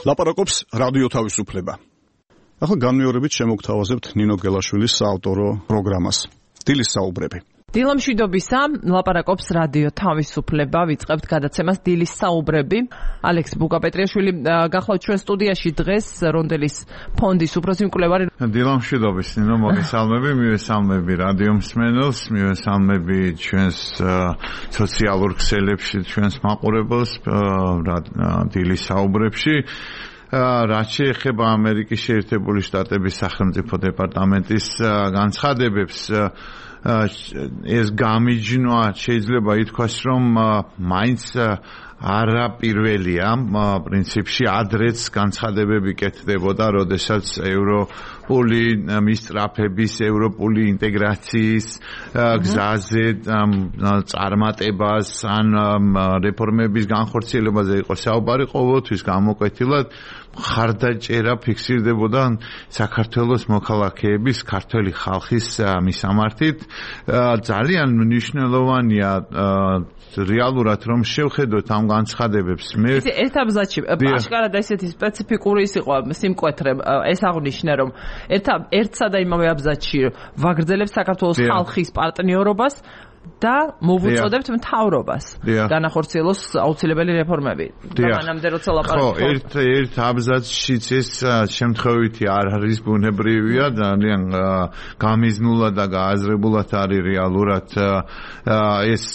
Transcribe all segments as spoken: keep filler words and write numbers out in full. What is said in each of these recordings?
ლაპარაკობს რადიო თავისუფლება. ახლა განმეორებით შემოგთავაზებთ ნინო გელაშვილის საავტორო პროგრამას. დილის საუბრები. დილამშვიდობისა, ლაპარაკობს რადიო თავისუფლება, ვიწყებთ გადაცემას დილის საუბრები. ალექს ბუკაპეტრიაშვილი გახლავთ ჩვენ სტუდიაში დღეს რონდელის ფონდის უფროსი მკვლევარი. დილამშვიდობის, ნინო, მოგესალმები, მივესალმები რადიო მსმენელს, მივესალმები ჩვენს სოციალურ ქსელებში, ჩვენს მაყურებელს დილის საუბრებში. რაც შეეხება ამერიკის შეერთებული შტატების სახელმწიფო დეპარტამენტის განცხადებებს, ეს გამიჯნვა შეიძლება ითქვას, რომ მაინც არა პირველია, პრინციპში ადრეც განცხადებები კეთდებოდა, როდესაც ევროპული მისწრაფების, ევროპული ინტეგრაციის გზაზე წარმატებას ან რეფორმების განხორციელებაზე იყო საუბარი, ყოველთვის გამოკვეთილად მხარდაჭერა ფიქსირდებოდა საქართველოს მოქალაქეების, ქართველი ხალხის მისამართით. ძალიან მნიშვნელოვანია რეალურად რომ შევხედოთ ამ განცხადებებს. მე ერთ აბზაცში აშკარად ესეთი სპეციფიკური ის იყო სიმკვეთრე, ეს აღნიშნე რომ ერთ ერთსა და იმავე აბზაცში ვაგრძელებს საქართველოს ხალხის პარტნიორობას და მოვუწოდებთ მთავრობას განახორციელოს აუცილებელი რეფორმები. მანამდე როცა ლაპარაკობთ. ხო, ერთ ერთ აბზაცშიც ეს შემთხვევითი არ არის ბუნებრივია, ძალიან გამიზნულად და გააზრებულად არის რეალურად ეს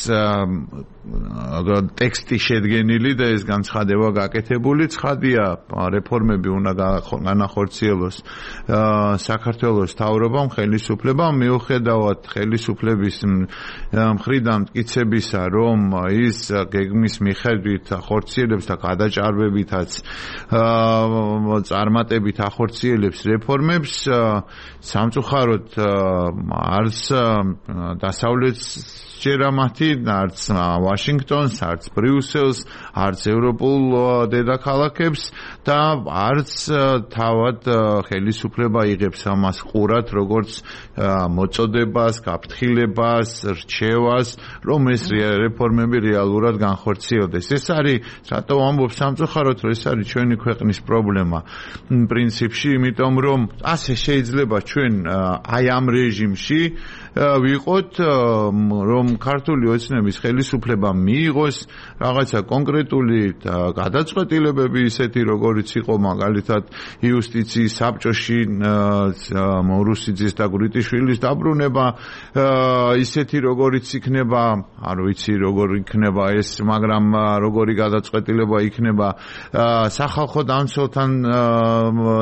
ტექსტი შედგენილი და ეს განცხადება გაკეთებული. ცხადია, რეფორმები უნდა განახორციელოს საქართველოს მთავრობამ, ხელისუფლებამ, მიუხედავად ხელისუფლების მხრიდან მტკიცებისა, რომ ის გეგმის მიხედვით ახორციელებს და გადაჭარბებითაც წარმატებით ახორციელებს რეფორმებს, სამწუხაროდ არც დასავლეთს ჯერა მათი, არც ვაშინგტონს, არც ბრიუსელს, არც ევროპულ დედაქალაქებს და არც თავად ხელისუფლება იღებს ამას ყურად, როგორც მოწოდებას, გაფრთხილებას, რჩევას, რომ ეს რეფორმები რეალურად განხორციელდეს. ეს არის, რატო ვამბობ სამწუხაროდ, რომ ეს არის ჩვენი ქვეყნის პრობლემა. პრინციპში, იმიტომ რომ ასე შეიძლება ჩვენ აი ამ რეჟიმში ვიყოთ, რომ ქართული ოცნების ხელისუფლება მიიღოს რაღაცა კონკრეტული გადაწყვეტილებები, ისეთი როგორიც იყო მაგალითად იუსტიციის საბჭოში მორუსიძის და გვრიტიშვილის დაბრუნება, ისეთი როგორიც იქნება, არ ვიცი როგორ იქნება ეს, მაგრამ როგორი გადაწყვეტილება იქნება სახალხო დამცველთან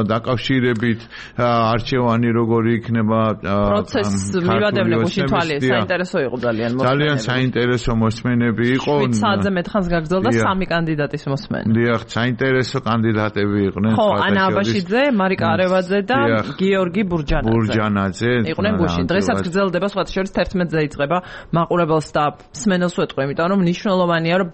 დაკავშირებით, არჩევანი როგორი იქნება პროცესს მივადევნე გუშინ თვალე, საინტერესო იყო ძალიან მოსმენები. ძალიან საინტერესო მოსმენები იყო. შვიდ საათზე მეტხანს გაგრძელდა სამი კანდიდატის მოსმენა. დიახ, საინტერესო კანდიდატები იყვნენ. ხო, ანა აბაშიძე, მარიკა არევაძე და გიორგი ბურჯანაძე. ბურჯანაძე იყვნენ გუშინ. დღესაც გრძელდება, სხვათა შორის თერთმეტზე იწყება, მაყურებელს და მსმენელს ვეტყვი, იმიტომ რომ მნიშვნელოვანია, რომ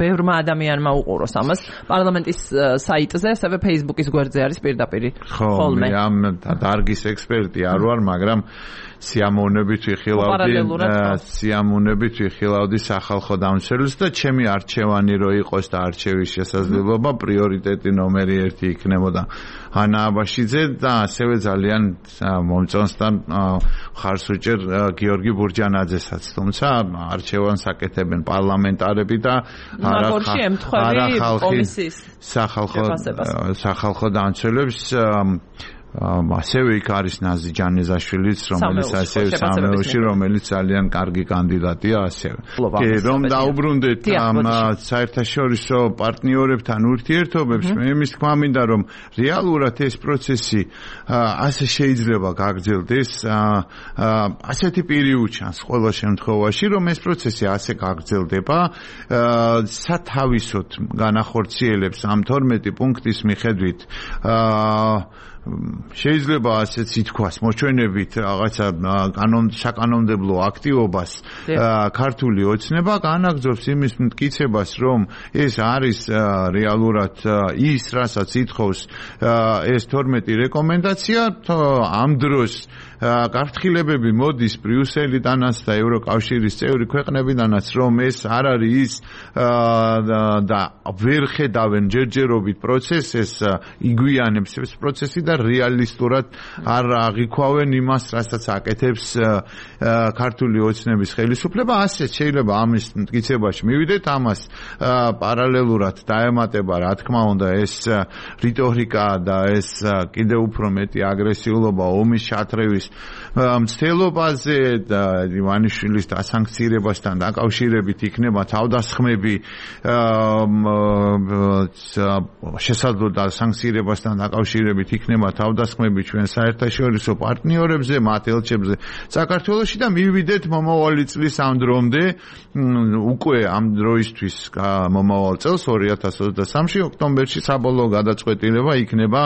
ბევრმა ადამიანმა უყუროს ამას. პარლამენტის საიტზე, ასევე Facebook-ის გვერდზე არის პირდაპირ. ხო, მე ამ დარგის ექსპერტი არ ვარ, მაგრამ სიამოვნებით ვიხილავდი სიამოვნებით ვიხილავდი სახალხო დამცველს და ჩემი არჩევანი რო იყოს და არჩევის შესაძლებლობა პრიორიტეტი ნომერი ერთი იქნებოდა ანა აბაშიძე და ასევე ძალიან მომწონს და ხარს უჭერ გიორგი ბურჯანაძესაც, თუმცა არჩევანს აკეთებენ პარლამენტარები და არა ხალხი სახალხო სახალხო დამცველებს. ასევე იქ არის ნაზი ჯანეზაშვილიც, რომელიც ასევე სამეულში, რომელიც ძალიან კარგი კანდიდატია ასევე. რომ დაუბრუნდეთ ამ საერთაშორისო პარტნიორებთან ურთიერთობებს, მე იმის თქმა მინდა, რომ რეალურად ეს პროცესი ასე შეიძლება გაგრძელდეს, ასეთი პირი უჩანს ყველა შემთხვევაში, რომ ეს პროცესი ასე გაგრძელდება, სათავისოდ განახორციელებს ამ თორმეტი პუნქტის მიხედვით შეიძლება ასეც ითქვას, მოჩვენებით რაღაცა საკანონმდებლო აქტივობას ქართული ოცნება განაგრძობს იმის მტკიცებას, რომ ეს არის რეალურად ის, რასაც ითხოვს ეს თორმეტი რეკომენდაცია, ამ დროს გაფრთხილებები მოდის ბრიუსელიდანაც და ევროკავშირის წევრი ქვეყნებიდანაც, რომ ეს არ არის ის და ვერ ხედავენ ჯერჯერობით პროცესს, ეს იგვიანებს ეს პროცესი და რეალისტურად არ აღიქვავენ იმას, რასაც აკეთებს ქართული ოცნების ხელისუფლება. ასე შეიძლება ამის მტკიცებაში მივიდეთ, ამას პარალელურად დაემატება, რა თქმა უნდა, ეს რიტორიკა და ეს კიდევ უფრო მეტი აგრესიულობა ომის ჩათრევის მცდელობაზე და ივანიშვილის დასანქცირებასთან დაკავშირებით იქნება თავდასხმები შესაძლო დასანქცირებასთან დაკავშირებით იქნება თავდასხმები ჩვენ საერთაშორისო პარტნიორებზე, მათ ელჩებზე საქართველოში და მივიდეთ მომავალი წლის ამ დრომდე, უკვე ამ დროისთვის მომავალ წელს ორი ათას ოცდასამში ოქტომბერში საბოლოო გადაწყვეტილება იქნება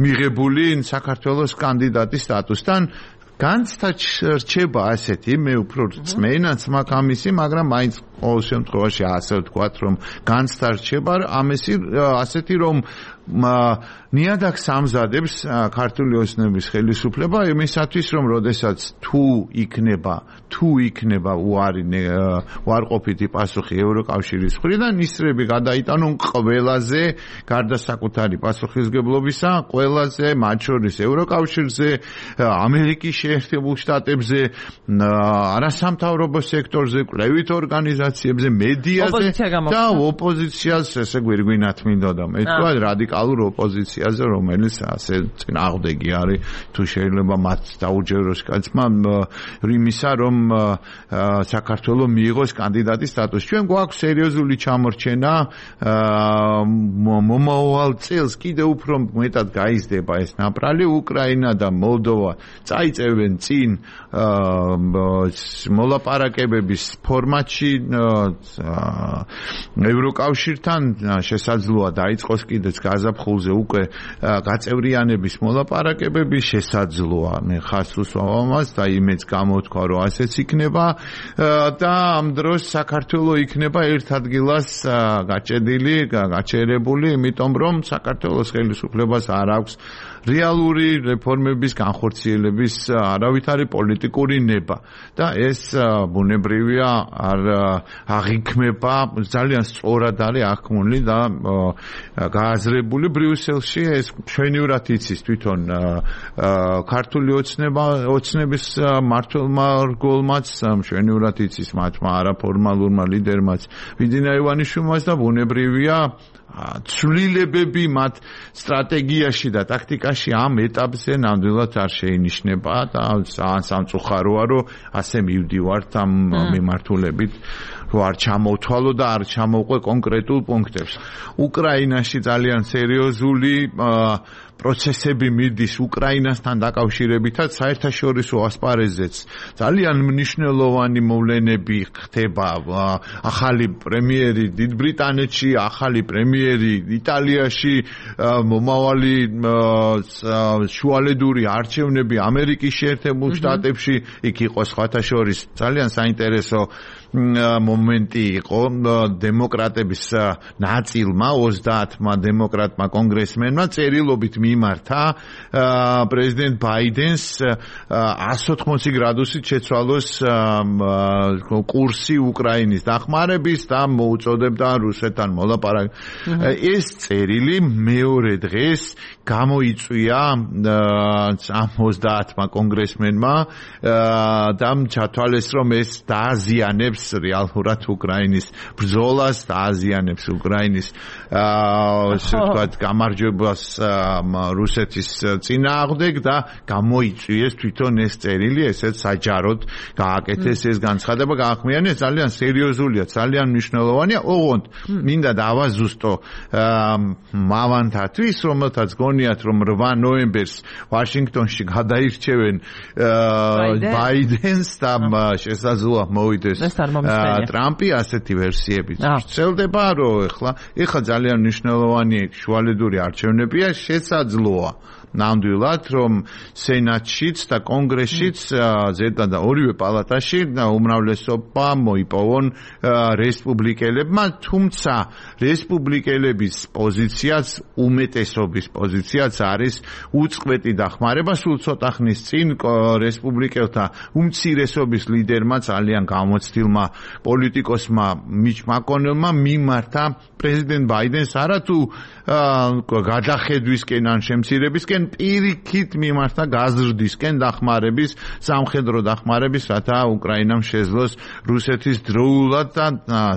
მიღებული საქართველოს კანდიდატის სტატუსთან. განცდა რჩება ასეთი, მე უფრო წმენაც მაქვს ამისი, მაგრამ მაინც ყოველ შემთხვევაში ასე ვთქვათ, რომ განცდა რჩება ამისი ასეთი, რომ ნიადაგს ამზადებს ქართული ოცნების ხელისუფლება იმისათვის, რომ როდესაც თუ იქნება, თუ იქნება უარი უარყოფითი პასუხი ევროკავშირის მხრიდან, ისრები გადაიტანონ ყველაზე, გარდა საკუთარი პასუხისგებლობისა, ყველაზე, მათ შორის ევროკავშირზე, ამერიკის შეერთებულ შტატებზე, არასამთავრობო სექტორზე, კვლევით ორგანიზაციებზე, მედიაზე და ოპოზიციას, ესე გვირგვინათ მინდოდა მე თქვა რადიკალურ ოპოზიციაზე, რომელიც ასე წინააღმდეგი არის, თუ შეიძლება მათ დაუჯეროს კაცმა იმისა, რომ საქართველოს მიიღოს კანდიდატის სტატუსი. ჩვენ გვაქვს სერიოზული ჩამორჩენა, მომავალ წელს კიდევ უფრო მეტად გაიზრდება ეს ნაპრალი, უკრაინა და მოლდოვა წაიწევენ წინ მოლაპარაკებების ფორმატში ევროკავშირთან, შესაძლოა დაიწყოს კიდეც გაზაფხულზე უკვე გაწევრიანების მოლაპარაკებები, შესაძლოა მე ხას უსვამს და იმეც გამოთქვა, რომ ასეც იქნება და ამ დროს საქართველოს იქნება ერთ ადგილას გაჭედილი, გაჩერებული, იმიტომ რომ საქართველოს ხელისუფლებას არ აქვს რეალური რეფორმების განხორციელების არავითარი პოლიტიკური ნება და ეს ბუნებრივია არ აღიქმება, ძალიან სწორად არის აღქმული და გააზრებული ბრიუსელში. ეს ჩვენივრად იცის თვითონ ქართული ოცნება ოცნების მმართველმა რგოლმაც, ჩვენივრად იცის მათმა არაფორმალურმა ლიდერმაც ვიძინა ივანიშვილმაც და ბუნებრივია ცვლილებები მათ სტრატეგიაში და ტაქტიკაში ამ ეტაპზე ნამდვილად არ შეინიშნება და სამწუხაროა, რომ ასე მივდივართ ამ მიმართულებით, რომ არ ჩამოვთვალო და არ ჩამოვყვე კონკრეტულ პუნქტებს. უკრაინაში ძალიან სერიოზული პროცესები მიდის უკრაინასთან დაკავშირებითაც, საერთაშორისო ასპარეზზეც ძალიან მნიშვნელოვანი მოვლენები ხდება. ახალი პრემიერი დიდ ბრიტანეთში, ახალი პრემიერი იტალიაში, მომავალი შუალედური არჩევნები ამერიკის შეერთებულ შტატებში, იქ იყო სხვათა შორის ძალიან საინტერესო მომენტი იყო დემოკრატების ნაწილმა, ოცდაათმა დემოკრატმა კონგრესმენმა წერილობით მიმართა პრეზიდენტ ბაიდენს εκατს ოთხმოცი გრადუსით შეცვალოს კურსი უკრაინის დახმარების და მოუწოდებდა რუსეთთან მოლაპარაკებას. ეს წერილი მეორე დღეს გამოიწვია ოცდაათმა კონგრესმენმა და ჩათვალეს, რომ ეს დააზიანებს რეალურად უკრაინის ბრძოლას, დააზიანებს უკრაინის ასე ვთქვათ გამარჯვებას რუსეთის წინააღმდეგ და გამოიწვიეს თვითონ ეს წერილი, ესეც საჯაროდ გააკეთეს ეს განცხადება, გაახმიანეს, ძალიან სერიოზულია, ძალიან მნიშვნელოვანია. ოღონდ მინდა დავაზუსტო მავანთათვის, რომელთაც გონიათ, რომ რვა ნოემბერს ვაშინგტონში გადაირჩევენ ბაიდენს და შესაძლოა მოვიდეს ტრამპი, ასეთი ვერსიები ვრცელდება, რომ ეხლა ეხლა ძალიან მნიშვნელოვანი შუალედური არჩევნებია, შესაძლოა ნამდვილად, რომ სენატშიც და კონგრესშიც ზედა და ორივე პალატაში უმრავლესობა მოიპოვონ რესპუბლიკელებმა, თუმცა რესპუბლიკელების პოზიციაც, უმეტესობის პოზიციაც არის უწყვეტი დახმარება. სულ ცოტა ხნის წინ რესპუბლიკელთა უმცირესობის ლიდერმა ძალიან გამოცდილმა პოლიტიკოსმა მიჩ მაკონელმა მიმართა პრეზიდენტ ბაიდენს არათუ გადახედვისკენ ან შემცირებისკენ, პირიქით მიმართა გაზრდისკენ დახმარების, სამხედრო დახმარების, რათა უკრაინამ შეძლოს რუსეთის დროულად და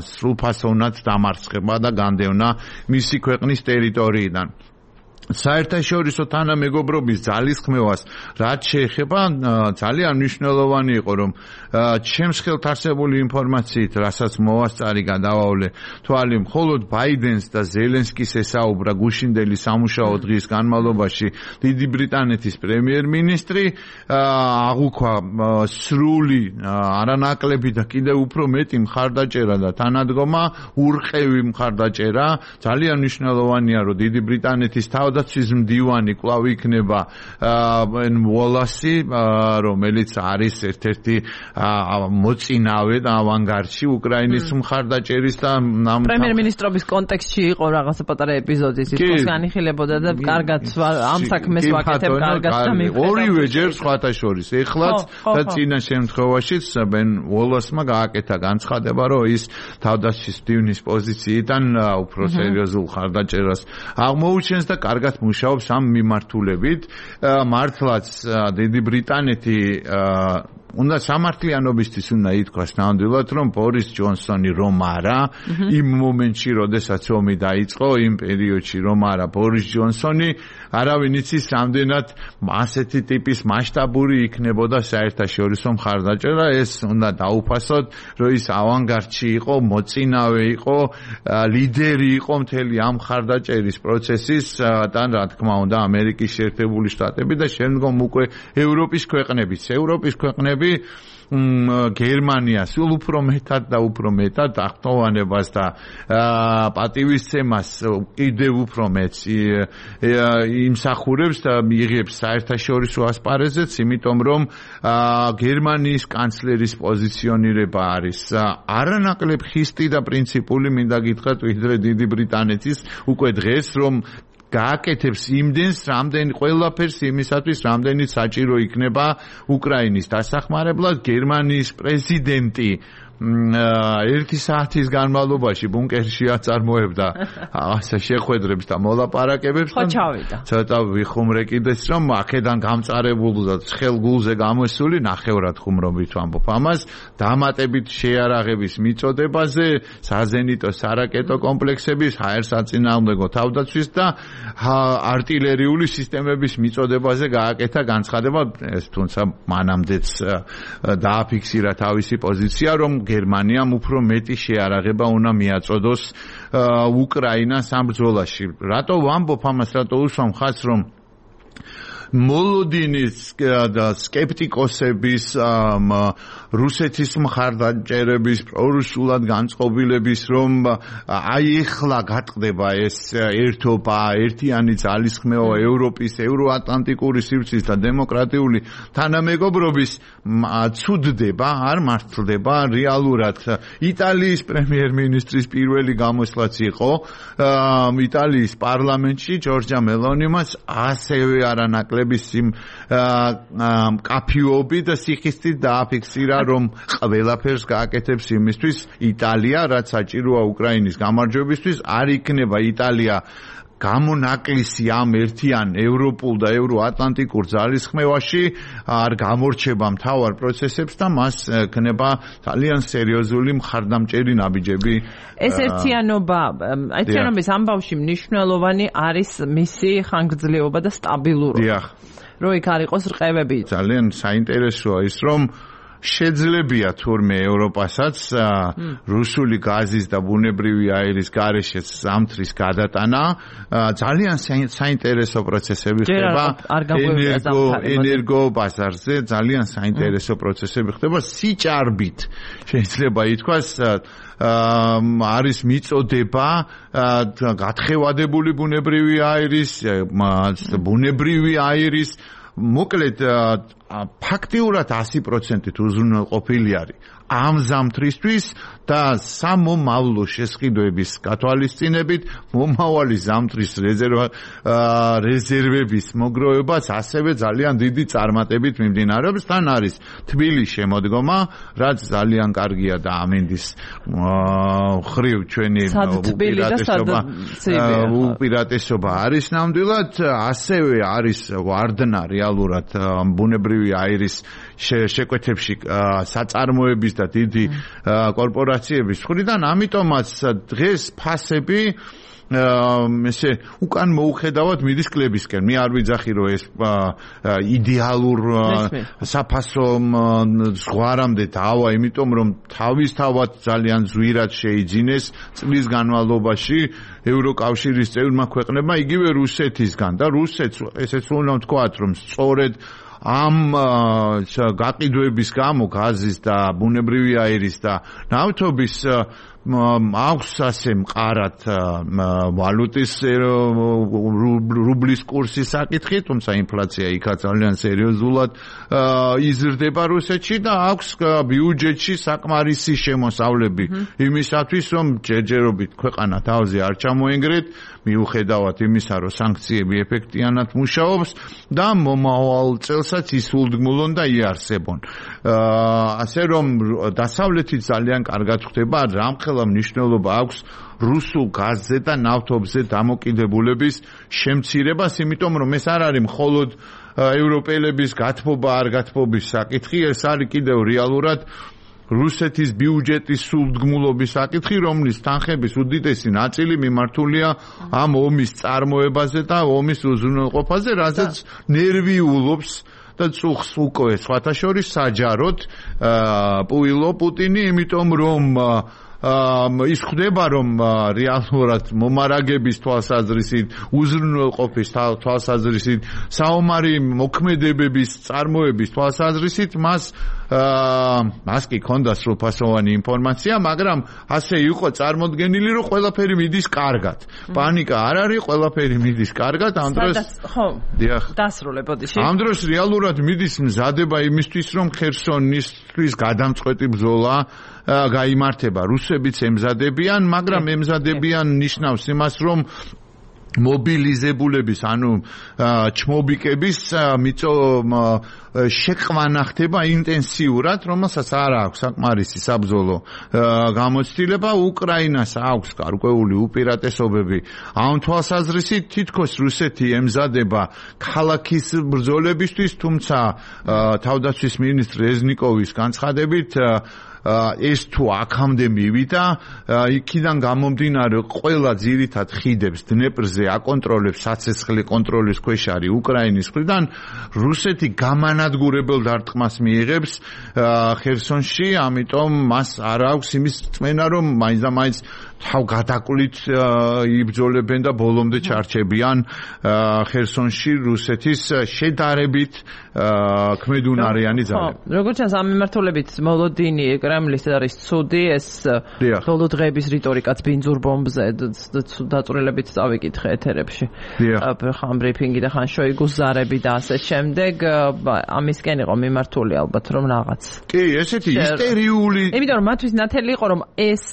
სრულფასოვნად დამარცხება და განდევნა მისი ქვეყნის ტერიტორიიდან. საერთაშორისო თანამეგობრობის ძალისხმევას რაც შეეხება, ძალიან მნიშვნელოვანი იყო, რომ ჩემს ხელთ არსებული ინფორმაციით, რასაც მოვასწარი გადავავლე თვალი, მხოლოდ ბაიდენს და ზელენსკის ესაუბრა გუშინდელი სამუშაო დღის განმავლობაში დიდი ბრიტანეთის პრემიერ-მინისტრი, აღუქვა სრული არანაკლები და კიდევ უფრო მეტი მხარდაჭერა და თანადგომა, ურყევი მხარდაჭერა. ძალიან მნიშვნელოვანია, რომ დიდი ბრიტანეთის თავდაცვის მდივანი კვლავ იქნება ბენ უოლასი, რომელიც არის ერთ-ერთი მოწინავე და ავანგარდში უკრაინის მხარდაჭერის და პრემიერ-მინისტრობის კონტექსტში იყო რაღაცა პატარა ეპიზოდი, ის განიხილებოდა და კარგად ამ საქმეს ვაკეთებ, კარგად დამიხდება. ორივე ჯერ სხვათა შორის, ეხლაც და წინა შემთხვევაშიც ბენ უოლასმა გააკეთა განცხადება, რომ ის თავდაცვის მდივნის პოზიციიდან უფრო სერიოზულ მხარდაჭერას აღმოუჩენს და კარგად მუშაობს ამ მიმართულებით. მართლაც დიდი ბრიტანეთი უნდა სამართლიანობისთვის უნდა ითქვას ნამდვილად, რომ ბორის ჯონსონი რომ არა, იმ მომენტში, როდესაც ომი დაიწყო, იმ პერიოდში რომ არა ბორის ჯონსონი, არავინ იცის რამდენად ასეთი ტიპის მასშტაბური იქნებოდა საერთაშორისო მხარდაჭერა. ეს უნდა დაუფასოთ, რომ ის ავანგარდში იყო, მოწინავე იყო, ლიდერი იყო მთელი ამ მხარდაჭერის პროცესის და რა თქმა უნდა ამერიკის შეერთებული შტატები და შემდგომ უკვე ევროპის ქვეყნებიც. ევროპის ქვეყნები გერმანია სულ უფრო მეტად და უფრო მეტად აღტოვანებას და პატივისცემას კიდევ უფრო მეტს იმსახურებს და მიიღებს საერთაშორისო ასპარეზეც, იმიტომ რომ გერმანიის კანცლერის პოზიციონირება არის არანაკლებ ხისტი და პრინციპული, მინდა გითხრათ, ვიდრე დიდი ბრიტანეთის უკვე დღეს, რომ გააკეთებს იმდენს, რამდენი ყველაფერს იმისათვის, რამდენი საჭირო იქნება უკრაინის დასახმარებლად. გერმანიის პრეზიდენტი ერთი საათის განმავლობაში ბუნკერში აწარმოებდა ასე შეხვედრებს და მოლაპარაკებებს. ხო ჩავიდა. ცოტა ვიხუმრე კიდეც, რომ აქედან გამწარებული და ცხელ გულზე გამოსული, ნახევრად ხუმრობით ვამბობ ამას, დამატებით შეარაღების მიწოდებაზე, საზენიტო სარაკეტო კომპლექსების, ჰაერსაწინააღმდეგო თავდაცვის და არტილერიული სისტემების მიწოდებაზე გააკეთა განცხადება. ეს თუმცა მანამდეც დააფიქსირა თავისი პოზიცია, რომ გერმანიამ უფრო მეტი შეარაღება უნდა მიაწოდოს უკრაინას ამ ბრძოლაში. რატო ვამბობ ამას, რატო უსვამ ხაზს, რომ მოლოდინის და სკეპტიკოსების, რუსეთის მხარდაჭერების, პრორუსულად განწყობილების, რომ აი ეხლა გატყდება ეს ერთობა, ერთიანი ძალისხმევა ევროპის, ევროატლანტიკური სივრცის და დემოკრატიული თანამეგობრობის ცუდდება, არ მართლდება რეალურად. იტალიის პრემიერ-მინისტრის პირველი გამოსვლაც იყო იტალიის პარლამენტში, ჯორჯა მელონიმაც ასევე არანაკლებ იმ კაფიობი და სიხისტით დააფიქსირა, რომ ყველაფერს გააკეთებს იმისთვის იტალია, რაც საჭიროა უკრაინის გამარჯვებისთვის. არ იქნება იტალია გამონაკლისი ამ ერთიან ევროპულ და ევროატლანტიკურ ძალისხმევაში, არ გამორჩება მთავარ პროცესებს და მას ექნება ძალიან სერიოზული მხარდამჭერი ნაბიჯები. ეს ერთიანობა, ერთიანობის ამბავში მნიშვნელოვანი არის მისი ხანგრძლივობა და სტაბილურობა. დიახ. რო იქ არ იყოს რყევები. ძალიან საინტერესოა ის, რომ შეძლებია თურმე ევროპასაც რუსული გაზის და ბუნებრივი აირის გარეშე ზამთრის გადატანა ძალიან საინტერესო პროცესები ხდება ენერგო ენერგო ბაზარზე ძალიან საინტერესო პროცესები ხდება სიჭარბით შეიძლება ითქვას არის მიწოდება გათხევადებული ბუნებრივი აირის ბუნებრივი აირის მოკლედ ფაქტიურად ასი პროცენტით უზრუნველყოფილი არის ამ ზამთრისთვის და სამომავლო შესყიდვების გათვალისწინებით მომავალი ზამთრის რეზერვა რეზერვების მოგროვებაც ასევე ძალიან დიდი წარმატებით მიმდინარეობს. თან არის თბილის შემოდგომა, რაც ძალიან კარგია და ამინდის ხრივ ჩვენი უპირატესობა უპირატესობა არის ნამდვილად, ასევე არის ვარდნა რეალურად ბუნებრივი აირის შეკვეთებში საწარმოების და დიდი კორპორაციების მხრიდან, ამიტომაც დღეს ფასები ესე უკან მოუხედავად მიდის კლებისკენ. მე არ ვიძახი რომ ეს იდეალურ საფასო ზღვარამდე დავა, იმიტომ რომ თავისთავად ძალიან ზვირად შეიძინეს წლის განმავლობაში ევროკავშირის წევრმა ქვეყნებმა, იგივე რუსეთისგან და რუსეთს ესეც უნდა ვთქვათ რომ სწორედ ამ გაყიდვების გამო გაზის და ბუნებრივი აირის და ნავთობის აქვს ასე მყარად ვალუტის რუბლის კურსის საკითხი, თუმცა ინფლაცია იქაც ძალიან სერიოზულად იზრდება რუსეთში და აქვს ბიუჯეტში საკმარისი შემოსავლები იმისათვის, რომ ჯერჯერობით ქვეყანა თავზე არ ჩამოენგრეთ, მიუხედავად იმისა, რომ სანქციები ეფექტიანად მუშაობს და მომავალ წელსაც ისულდგმულონ და იარსებონ. ასე რომ დასავლეთით ძალიან კარგად ხდება, რამხელა მნიშვნელობა აქვს რუსულ გაზზე და ნავთობზე დამოკიდებულების შემცირებას, იმიტომ რომ ეს არ არის მხოლოდ ევროპელების გათბობა არ გათბობის საკითხი, ეს არის კიდევ რეალურად რუსეთის ბიუჯეტის სულდგმულობის საკითხი, რომლის თანხების უდიდესი ნაწილი მიმართულია ამ ომის წარმოებაზე და ომის უზრუნველყოფაზე, რაზეც ნერვიულობს და წუხს უკვე სხვათა შორის საჯაროდ პუილო პუტინი, იმიტომ რომ ის ხდება რომ რეალურად მომარაგების თვალსაზრისით, უზრუნველყოფის თვალსაზრისით, საომარი მოქმედებების წარმოების თვალსაზრისით მას მას კი ქონდა სრულფასოვანი ინფორმაცია, მაგრამ ასე იყო წარმოდგენილი, რომ ყველაფერი მიდის კარგად. პანიკა არ არის, ყველაფერი მიდის კარგად. ამ დროს ხო, დასრულებოდი. ამ დროს რეალურად მიდის მზადება იმისთვის, რომ ხერსონისთვის გადამწყვეტი ბრძოლა გაიმართება. რუსებიც ემზადებიან, მაგრამ ემზადებიან ნიშნავს იმას, რომ მობილიზებულების, ანუ ჩმობიკების მიწო შეყვანა ხდება ინტენსიურად, რომელსაც არ აქვს საკმარისი საბრძოლო გამოცდილება. უკრაინას აქვს გარკვეული უპირატესობები. ამ თვალსაზრისით თითქოს რუსეთი ემზადება ქალაქის ბრძოლებისთვის, თუმცა თავდაცვის მინისტრ რეზნიკოვის განცხადებით ეს თუ აქამდე მივიდა, იქიდან გამომდინარე ყველა ძირითად ხიდებს დნეპრზე აკონტროლებს, საცეცხლე კონტროლის ქვეშ არის უკრაინის მხრიდან. რუსეთი გამანადგურებელ დარტყმას მიიღებს ხერსონში, ამიტომ მას არ აქვს იმის წმენა, რომ მაინც და მაინც თავ გადაკლით იბრძოლებენ და ბოლომდე ჩარჩებიან ხერსონში რუსეთის შედარებით ქმედუნარიანი ძალები. როგორც ჩანს, ამ მიმართულებით მოლოდინი კრემლის არის ცუდი, ეს ბოლო დღეების რიტორიკაც ბინძურ ბომბზე დაწვრილებით წავიკითხე ეთერებში. ხან ბრიფინგი და ხან შოიგუს ზარები და ასე შემდეგ, ამისკენ იყო მიმართული ალბათ რომ რაღაც. კი, ესეთი ისტერიული. იმიტომ რომ მათთვის ნათელი იყო რომ ეს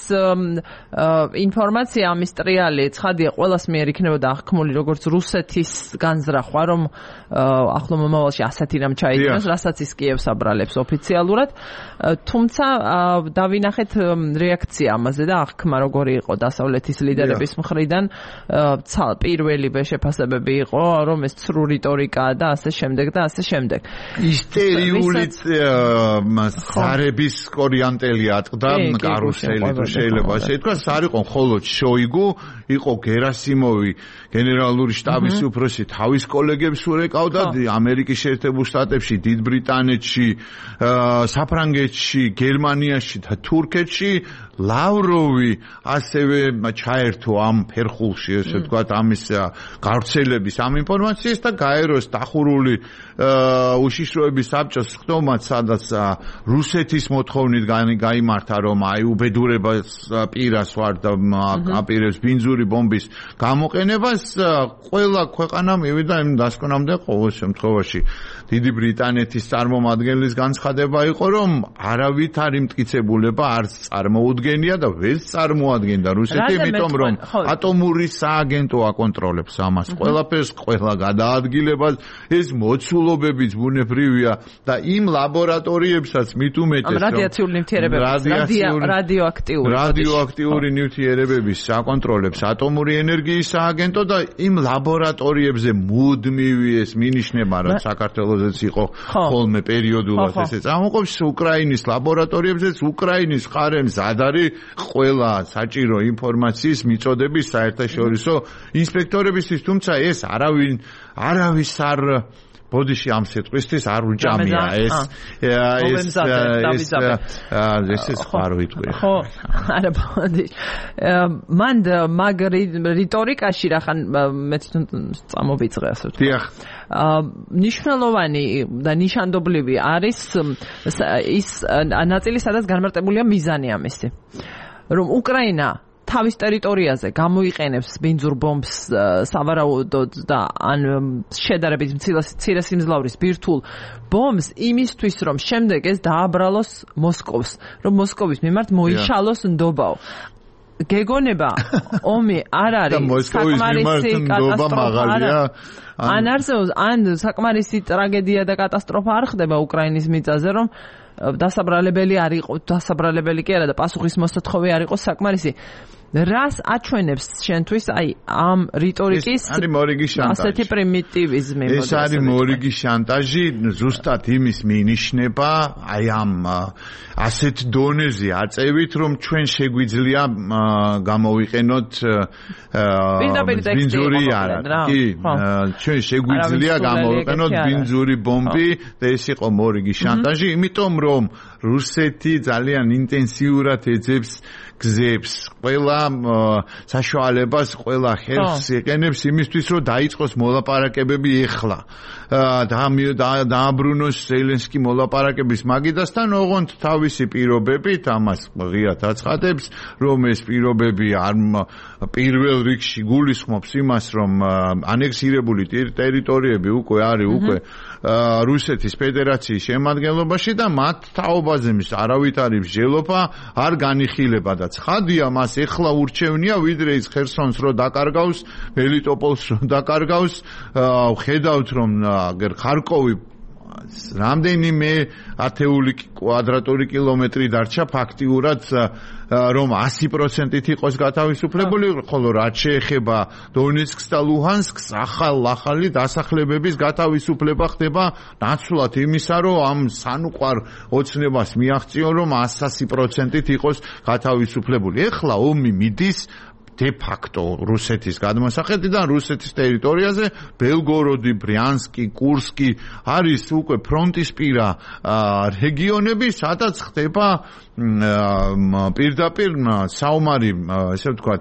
ინფორმაცია ამის ტრიალი ცხადია ყველას მიერ იქნებოდა აღქმული როგორც რუსეთის განზრახვა, რომ ახლო მომავალში ასეთი რამ ჩაიდინოს, რასაც ის კიევს აბრალებს ოფიციალურად. თუმცა დავინახეთ რეაქცია ამაზე და აღქმა როგორი იყო დასავლეთის ლიდერების მხრიდან. პირველივე შეფასებები იყო, რომ ეს ცრუ რიტორიკაა და ასე შემდეგ და ასე შემდეგ. ისტერიული ხარების კორიანტელი ატყდა კარუსელი თუ შეიძლება ასე ითქვას, არ იყო მხოლოდ შოიგუ, იყო გერასიმოვი გენერალური შტაბის უფროსი თავის კოლეგებს ურეკავდა ამერიკის შეერთებულ შტატებში, დიდ ბრიტანეთში, საფრანგეთში, გერმანიაში და თურქეთში. ლავროვი ასევე ჩაერთო ამ ფერხულში, ესე ვთქვათ, ამის გავრცელების ამ ინფორმაციას და გაეროს დახურული უშიშროების საბჭოს ხდომაც, სადაც რუსეთის მოთხოვნით გაიმართა, რომ აი უბედურებას პირას ვარ და აპირებს ბინძური ბომბის გამოყენებას, ყველა ქვეყანა მივიდა იმ დასკვნამდე ყოველ შემთხვევაში. დიდი ბრიტანეთის წარმომადგენლის განცხადება იყო, რომ არავითარი მტკიცებულება არც წარმოუდგენია და ვერც წარმოადგენდა რუსეთი, იმიტომ რომ ატომური სააგენტო აკონტროლებს ამას. ყველაფერს, ყველა გადაადგილებას, ეს მოცულობებიც ბუნებრივია და იმ ლაბორატორიებსაც მით უმეტეს, რომ რადიაციული ნივთიერებების, რადიოაქტიური რადიოაქტიური ნივთიერებების აკონტროლებს ატომური ენერგიის სააგენტო და იმ ლაბორატორიებზე მუდმივი ეს მინიშნება, რომ საქართველოსაც იყო ხოლმე პერიოდულად ესე წარმოყოფს უკრაინის ლაბორატორიებზეც უკრაინის მხარემ ზადარი ყველა საჭირო ინფორმაციის მიწოდების საერთაშორისო ინსპექტორებისთვის, თუმცა ეს არავინ არავის არ ბოდიში ამ სიტყვისთვის არ უჭამია ეს ეს ეს ეს ხარ ვიტყვი. ხო, არა ბოდი. მან მაგ რიტორიკაში რახან მე თვითონ წამოვიწყე ასე ვთქვი. დიახ. ნიშნულოვანი და ნიშანდობლივი არის ის ნაწილი, სადაც განმარტებულია მიზანი ამისი. რომ უკრაინა თავის ტერიტორიაზე გამოიყენებს ბინძურ ბომბს სავარაუდოდ და ან შედარებით მცირე სიმძლავრის ბირთვულ ბომბს იმისთვის, რომ შემდეგ ეს დააბრალოს მოსკოვს, რომ მოსკოვის მიმართ მოიშალოს ნდობაო. გეგონება ომი არ არის საკმარისი კატასტროფა ან არსებობს ან საკმარისი ტრაგედია და კატასტროფა არ ხდება უკრაინის მიწაზე, რომ დასაბრალებელი არ იყო, დასაბრალებელი კი არა და პასუხისმოსათხოვი არ იყო საკმარისი. რას აჩვენებს შენთვის აი ამ რიტორიკის ასეთი პრიმიტივიზმი? ეს არის მორიგი შანტაჟი, ზუსტად იმის მინიშნება, აი ამ ასეთ დონეზე აწევით, რომ ჩვენ შეგვიძლია გამოვიყენოთ ბინძური არა, კი, ჩვენ შეგვიძლია გამოვიყენოთ ბინძური ბომბი და ეს იყო მორიგი შანტაჟი, იმიტომ რომ რუსეთი ძალიან ინტენსიურად ეძებს გზებს, ყველა საშუალებას, ყველა ხელს იყენებს იმისთვის, რომ დაიწყოს მოლაპარაკებები ეხლა. დააბრუნოს ზელენსკი მოლაპარაკების მაგიდასთან, ოღონდ თავისი პირობებით, ამას ღიად აცხადებს, რომ ეს პირობები არ პირველ რიგში გულისხმობს იმას, რომ ანექსირებული ტერიტორიები უკვე არის უკვე რუსეთის ფედერაციის შემადგენლობაში და მათ თაობაზე მის არავითარი მსჯელობა არ განიხილება და ცხადია, მას ეხლა ურჩევნია, ვიდრე ის ხერსონს რო დაკარგავს, მელიტოპოლს რო დაკარგავს, ხედავთ რომ ხარკოვი რამდენიმე ათეული კვადრატული კილომეტრი დარჩა ფაქტიურად, რომ ასი პროცენტით იყოს გათავისუფლებული, ხოლო რაც შეეხება დონეცკს და ლუჰანსკს, ახალ-ახალი დასახლებების გათავისუფლება ხდება ნაცვლად იმისა, რომ ამ სანუყვარ ოცნებას მიაღწიონ, რომ ასი პროცენტით იყოს გათავისუფლებული. ეხლა ომი მიდის de facto რუსეთის გადმოსახედიდან რუსეთის ტერიტორიაზე ბელგოროდი, ბრიანსკი, კურსკი არის უკვე ფრონტისპირა რეგიონები, სადაც ხდება პირდაპირ საომარი, ესე ვთქვათ,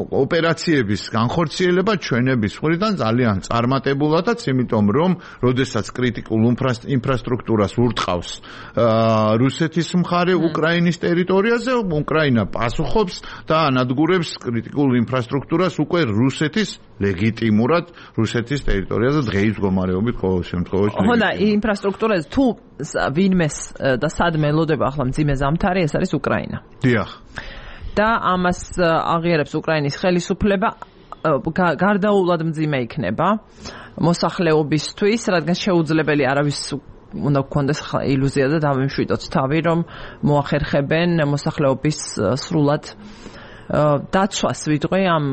ოპერაციების განხორციელება ჩვენების მხრიდან ძალიან წარმატებულადაც, იმიტომ რომ როდესაც კრიტიკულ ინფრასტრუქტურას ურტყავს რუსეთის მხარე უკრაინის ტერიტორიაზე, უკრაინა პასუხობს და ანადგურებს კრიტიკულ ინფრასტრუქტურას უკვე რუსეთის ლეგიტიმურად რუსეთის ტერიტორიაზე დღეის მდგომარეობით ყოველ შემთხვევაში. ხო და ინფრასტრუქტურაზე თუ ვინმეს და სად მელოდება ახლა მძიმე ზამთარი, ეს არის უკრაინა. დიახ. და ამას აღიარებს უკრაინის ხელისუფლება, გარდაულად მძიმე იქნება მოსახლეობისთვის, რადგან შეუძლებელი არავის უნდა გქონდეს ილუზია და დავიმშვიდოთ თავი, რომ მოახერხებენ მოსახლეობის სრულად დაცვას ვიტყვი ამ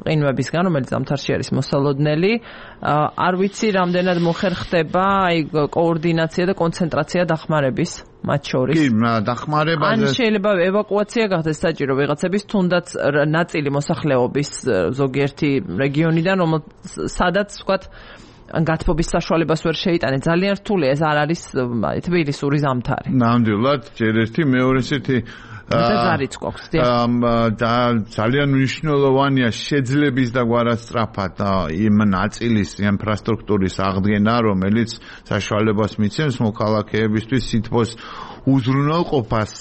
ყინვებისგან, რომელიც ზამთარში არის მოსალოდნელი. არ ვიცი, რამდენად მოხერხდება აი კოორდინაცია და კონცენტრაცია დახმარების მათ შორის. კი, დახმარება ან შეიძლება ევაკუაცია გახდეს საჭირო ვიღაცების, თუნდაც ნაწილი მოსახლეობის ზოგიერთი რეგიონიდან, სადაც ვთქვათ გათბობის საშუალებას ვერ შეიტანე. ძალიან რთულია, ეს არ არის თბილისური ზამთარი. ნამდვილად, ჯერ ერთი, მეორე ერთი ზარიც გვაქვს. და ძალიან მნიშვნელოვანია შეძლების და გვარასწრაფად იმ ნაწილის ინფრასტრუქტურის აღდგენა, რომელიც საშუალებას მიცემს მოქალაქეებისთვის სითბოს უზრუნველყოფას.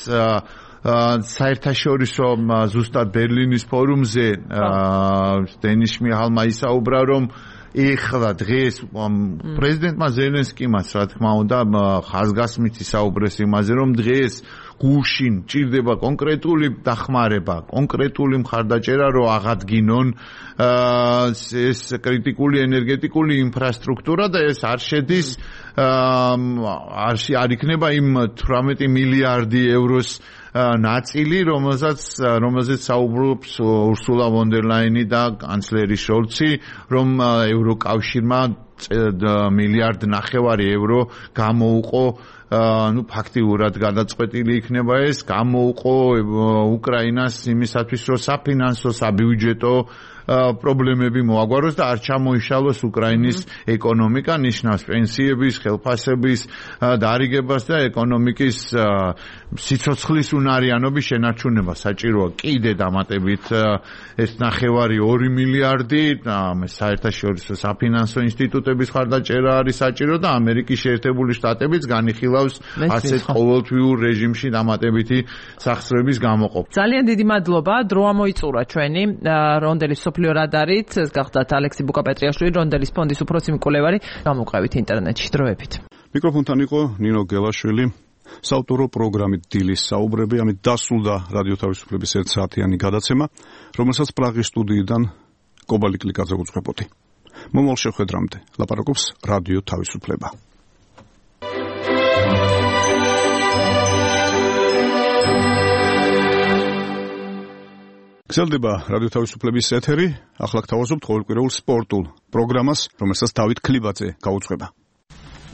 საერთაშორისო ზუსტად ბერლინის ფორუმზე დენის შმიჰალმა ისაუბრა, რომ ეხლა დღეს პრეზიდენტმა ზელენსკიმაც რა თქმა უნდა ხაზგასმით ისაუბრეს იმაზე, რომ დღეს გუშინ ჭირდება კონკრეტული დახმარება, კონკრეტული მხარდაჭერა, რომ აღადგინონ ეს კრიტიკული ენერგეტიკული ინფრასტრუქტურა და ეს არ შედის არ არ იქნება იმ თვრამეტი მილიარდი ევროს ნაწილი, რომელსაც რომელზეც საუბრობს ურსულა ვონ დერ ლაინი და კანცლერი შოლცი, რომ ევროკავშირმა მილიარდ ნახევარი евро გამოუყო, ну ფაქტიურად გადაწყვეტილი იქნება ეს, გამოუყო უკრაინას იმისათვის, რომ საფინანსო, საბიუჯეტო პრობლემები მოაგვაროს და არ ჩამოიშალოს უკრაინის ეკონომიკა, ნიშნავს პენსიების, ხელფასების დარიგებას და ეკონომიკის სიცოცხლის უნარიანობის შენარჩუნება. საჭიროა კიდე დამატებით ეს ნახევარი ორი მილიარდი, საერთაშორისო საფინანსო ინსტიტუტების ხარდაჭერა არის საჭირო და ამერიკის შეერთებული შტატებიც განიხილავს ასეთ ყოველთვიურ რეჟიმში დამატებითი სახსრების გამოყოფას. ძალიან დიდი მადლობა, დრო ამოიწურა ჩვენი რონდელის სოფლიო რადარით, ეს გახდათ ალექსი ბუკაპეტრიაშვილი, რონდელის ფონდის უფროსი მკვლევარი, გამოვყევით ინტერნეტში დროებით. მიკროფონთან იყო ნინო გელაშვილი. საავტორო პროგრამით დილის საუბრები, ამით დასრულდა რადიო თავისუფლების ერთ საათიანი გადაცემა, რომელსაც პრაღის სტუდიიდან კობალი კლიკაძე უძღვებოდი. მომავალ შეხვედრამდე ლაპარაკობს რადიო თავისუფლება. გრძელდება რადიო თავისუფლების ეთერი, ახლა გთავაზობთ ყოველკვირეულ სპორტულ პროგრამას, რომელსაც დავით ქლიბაძე გაუძღვება.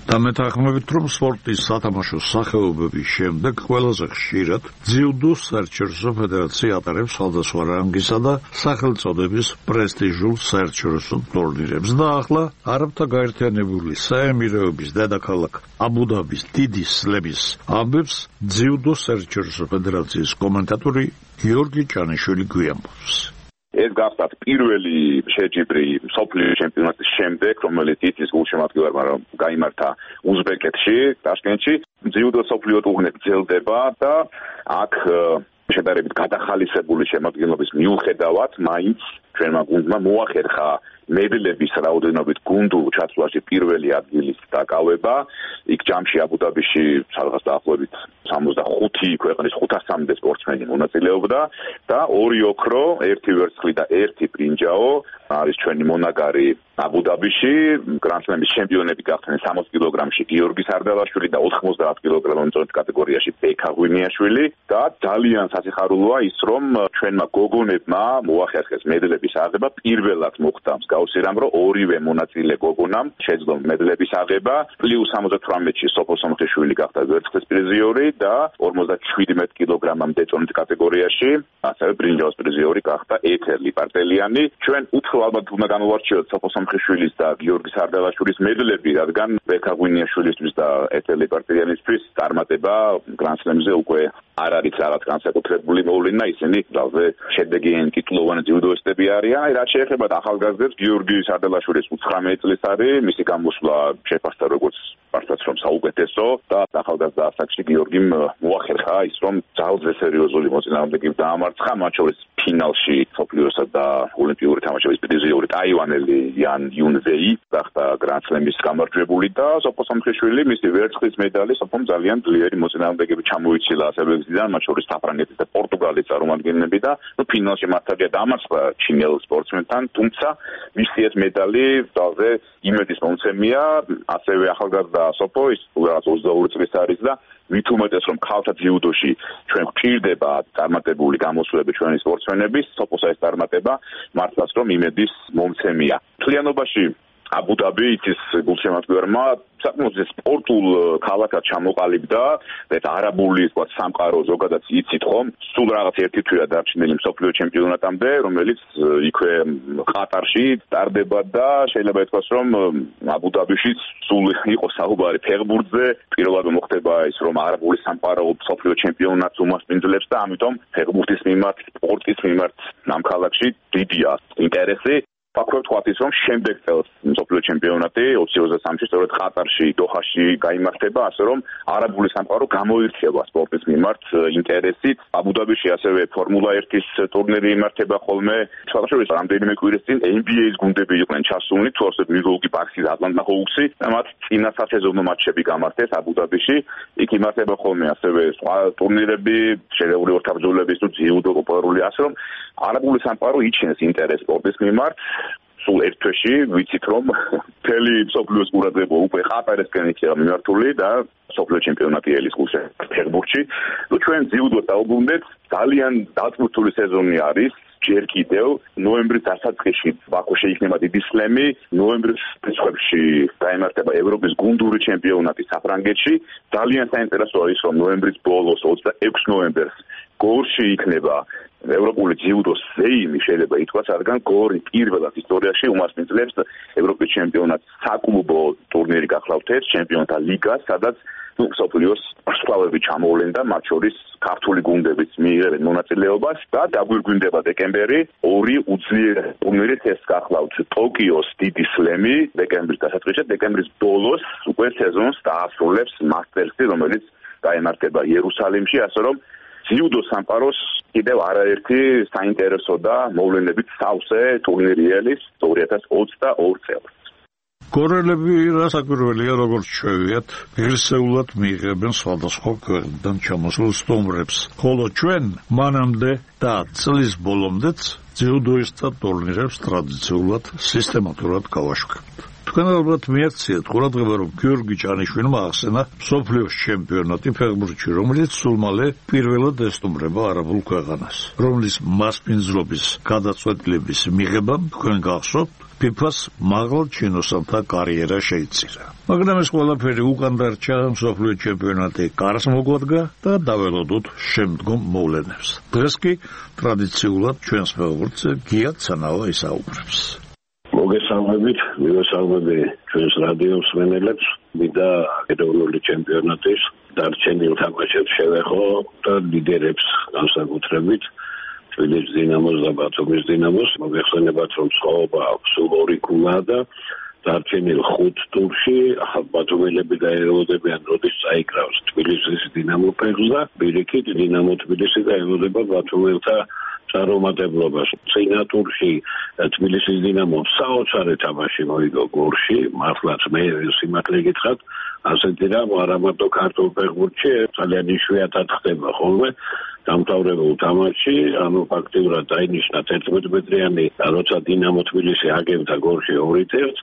და მეთანხმებით, რომ სპორტის სათამაშო სახეობების შემდეგ ყველაზე ხშირად ძიუდო საერთაშორისო ფედერაცია ატარებს სხვადასხვა რანგისა და სახელწოდების პრესტიჟულ საერთაშორისო ტურნირებს და ახლა არაბთა გაერთიანებული საემირეობის დედაქალაქ აბუ-დაბის დიდი სლემის ამბებს ძიუდო საერთაშორისო ფედერაციის კომენტატორი გიორგი ჭანიშვილი გვიამბობს. ეს გახდათ პირველი შეჯიბრი მსოფლიო ჩემპიონატის შემდეგ, რომელიც იცის გულშემატკივარმა რომ გაიმართა უზბეკეთში, ტაშკენტში, ძიუდო მსოფლიო ტურნირი გრძელდება და აქ შედარებით გადახალისებული შემადგენლობის მიუხედავად, მაინც ჩვენმა გუნდმა მოახერხა მედლების რაოდენობით გუნდურ ჩათვლაში პირველი ადგილის დაკავება. იქ ჯამში აბუ-დაბიში სადღაც დაახლოებით სამოცდახუთი ქვეყნის ხუთასამდე სპორტსმენი მონაწილეობდა და ორი ოქრო, ერთი ვერცხლი და ერთი ბრინჯაო არის ჩვენი მონაგარი აბუ-დაბიში. გრანდსლემის ჩემპიონები გახდნენ სამოცი კილოგრამში გიორგი სარდალაშვილი და ოთხმოცდაათ კილოგრამის წონის კატეგორიაში ბექა ღვინიაშვილი და ძალიან სასიხარულოა ის, რომ ჩვენმა გოგონებმა მოახერხეს მედლების აღება. პირველად მოხდა მსგავსი რამ, რომ ორივე მონაწილე გოგონამ შეძლო მედლების აღება. პლუს სამოცდათვრამეტში სოფო სომხიშვილი გახდა ვერცხლის პრიზიორი და ორმოცდაჩვიდმეტ კილოგრამამდე წონის კატეგორიაში ასევე ბრინჯაოს პრიზიორი გახდა ეთერ ლიპარტელიანი. ჩვენ უფრო ალბათ უნდა განვარჩიოთ სოფო სომხიშვილის და გიორგი სარდალაშვილის მედლები, რადგან ბექა ღვინიაშვილისთვის და ეთერ ლიპარტელიანისთვის წარმატება გრანდსლემზე უკვე არ არის რაღაც განსაკუთრებული მოვლენა, ისინი ძალზე შედეგიანი ტიტულოვანი ძიუდოისტები არიან. აი, რაც შეეხება ახალგაზრდებს, გიორგი სარდალაშვილის ოცდათხმეტ წლის არის, მისი გამოსვლა შეფასდა როგორც მართლაც რომ საუკეთესო და ახალგაზრდა ასაკში გიორგიმ მოახერხა ის, რომ ძალზე სერიოზული მოწინააღმდეგეებს დაამარცხა, მათ შორის ფინალში სოფლიოსა და ოლიმპიური თამაშების პრიზიორი ტაივანელი იან იუნზეი გახდა გრანდსლემის გამარჯვებული და სოფო სამხეშვილი მისი ვერცხლის медали სოფომ ძალიან ძლიერი მოწინააღმდეგეები ჩამოიცილა ასებებიდან, მათ შორის საფრანგეთის და პორტუგალის წარმომადგენლები და ნუ ფინალში მართალია დამარცხდა ჩინელ სპორტსმენთან, თუმცა მისი ეს медали ძალზე იმედის მომცემია, ასევე ახალგაზრდა სოფო ის უბრალოდ ოცდაორი წლის არის და მით უმეტეს რომ ქალთა ძიუდოში ჩვენ გვჭირდება წარმატებული გამოსვლები ჩვენი სპორტსმენების, სოფოს ეს წარმატება მართლაც რომ იმედის მომცემია. მთლიანობაში აბუ-დაბი იცის გულშემატკივრმა საკმაოდ სპორტულ ქალაქად ჩამოყალიბდა და არაბული თქვა სამყარო ზოგადად იცით ხომ სულ რაღაც ერთი თვეა დარჩენილი მსოფლიო ჩემპიონატამდე რომელიც იქვე ყატარში ტარდება და შეიძლება ითქვას რომ აბუ-დაბიში სულ იყო საუბარი ფეხბურთზე პირველად მოხდება ის რომ არაბული სამყარო მსოფლიო ჩემპიონატს უმასპინძლებს და ამიტომ ფეხბურთის მიმართ სპორტის მიმართ ამ ქალაქში დიდია ინტერესი ფაქტორი თქვა ის რომ შემდეგ წელს მსოფლიო ჩემპიონატი ოცი ოცდასამში სწორედ ყატარში დოჰაში გაიმართება ასე რომ არაბული სამყარო გამოირჩევა სპორტის მიმართ ინტერესით აბუ-დაბიში ასევე ფორმულა ერთის ტურნირი იმართება ხოლმე შუახევრის რამდენიმე კვირის წინ ენ ბი ეის გუნდები იყვნენ ჩასულნი თუ ასე მილვოკი ბაქსი და ატლანტა ჰოუქსი და მათ წინა სასეზონო მატჩები გამართეს აბუ-დაბიში იქ იმართება ხოლმე ასევე სხვა ტურნირები შერეული ორთაბრძოლების თუ ძიუდო პოპულარული ასე რომ არაბული სამყარო იჩენს ინტერესს სპორტის მიმართ სულ ერთ თვეში ვიცით რომ მთელი მსოფლიოს ყურადღება უკვე ყატარისკენ იქნება მიმართული და მსოფლიო ჩემპიონატი ელის გულში ფეხბურთში. ნუ ჩვენ ძიუდოს დაუბრუნდეთ, ძალიან დაწვრთული სეზონი არის. ჯერ კიდევ ნოემბრის დასაწყისში ბაქოში იქნება დიდი სლემი, ნოემბრის რიცხვებში გაიმართება ევროპის გუნდური ჩემპიონატი საფრანგეთში. ძალიან საინტერესო არის რომ ნოემბრის ბოლოს ოცდაექვსი ნოემბერს გორში იქნება ევროპული ძიუდოს სეიმი შეიძლება ითქვას, რადგან გორი პირველად ისტორიაში უმასპინძლებს ევროპის ჩემპიონატს საკლუბო ტურნირი გახლავთ ეს ჩემპიონთა ლიგა, სადაც მსოფლიოს სკვლავები ჩამოვლენ და მათ შორის ქართული გუნდებიც მიიღებენ მონაწილეობას და დაგვირგვინდება დეკემბერი ორი უძლიერესი ტურნირით ეს გახლავთ ტოკიოს დიდი სლემი დეკემბრის დასაწყისში, დეკემბრის ბოლოს უკვე სეზონს დაასრულებს მასტერსი, რომელიც გაიმართება იერუსალიმში, ასე რომ ძიუდო სამყაროს კიდევ არაერთი საინტერესო და მოვლენებით სავსე ტურნირი ელის ორი ათას ოცდაორი წელს. გორელები რასაკვირველია როგორც ჩვევიათ, ღირსეულად მიიღებენ სხვადასხვა ქვეყნიდან ჩამოსულ სტუმრებს, ხოლო ჩვენ მანამდე და წლის ბოლომდეც ძიუდოისტთა ტურნირებს ტრადიციულად სისტემატურად გავაშვებთ. თქვენ ალბათ მიაქციეთ ყურადღება, რომ გიორგი ჭანიშვილმა ახსენა მსოფლიოს ჩემპიონატი ფეხბურთში, რომელიც სულ მალე პირველად ესტუმრება არაბულ ქვეყანას, რომლის მასპინძლობის გადაწყვეტილების მიღებამ თქვენ გახსოვთ ფიფას მაღალ ჩინოსანთა კარიერა შეიწირა. მაგრამ ეს ყველაფერი უკან დარჩა, მსოფლიო ჩემპიონატი კარს მოგვადგა და დაველოდოთ შემდგომ მოვლენებს. დღეს კი ტრადიციულად ჩვენს ფეხბურთზე გია ცანავა ისაუბრებს. მოგესალმებით, მივესალმები ჩვენს რადიო მსმენელებს, მინდა ეროვნული ჩემპიონატის დარჩენილ თამაშებს შევეხო და ლიდერებს განსაკუთრებით თბილისის დინამოს და ბათუმის დინამოს. მოგეხსენებათ, რომ სხვაობა სულ ორი ქულაა და დარჩენილ ხუთ ტურში ბათუმელები დაეელოდებიან, როდის წაიკრავს თბილისის დინამო ფეხს და პირიქით დინამო თბილისი დაეელოდება ბათუმელთა წარუმატებლობას. წინა ტურში თბილისის დინამომ საოცარი თამაში მოიგო გორში, მართლაც მე სიმართლე გითხრათ, ასეთი რამ არა მარტო ქართულ ფეხბურთში, ძალიან იშვიათად ხდება ხოლმე დამთავრებულ თამაშში, ანუ ფაქტიურად დაინიშნა თერთმეტ მეტრიანი, როცა დინამო თბილისი აგებდა გორში ორი ერთ,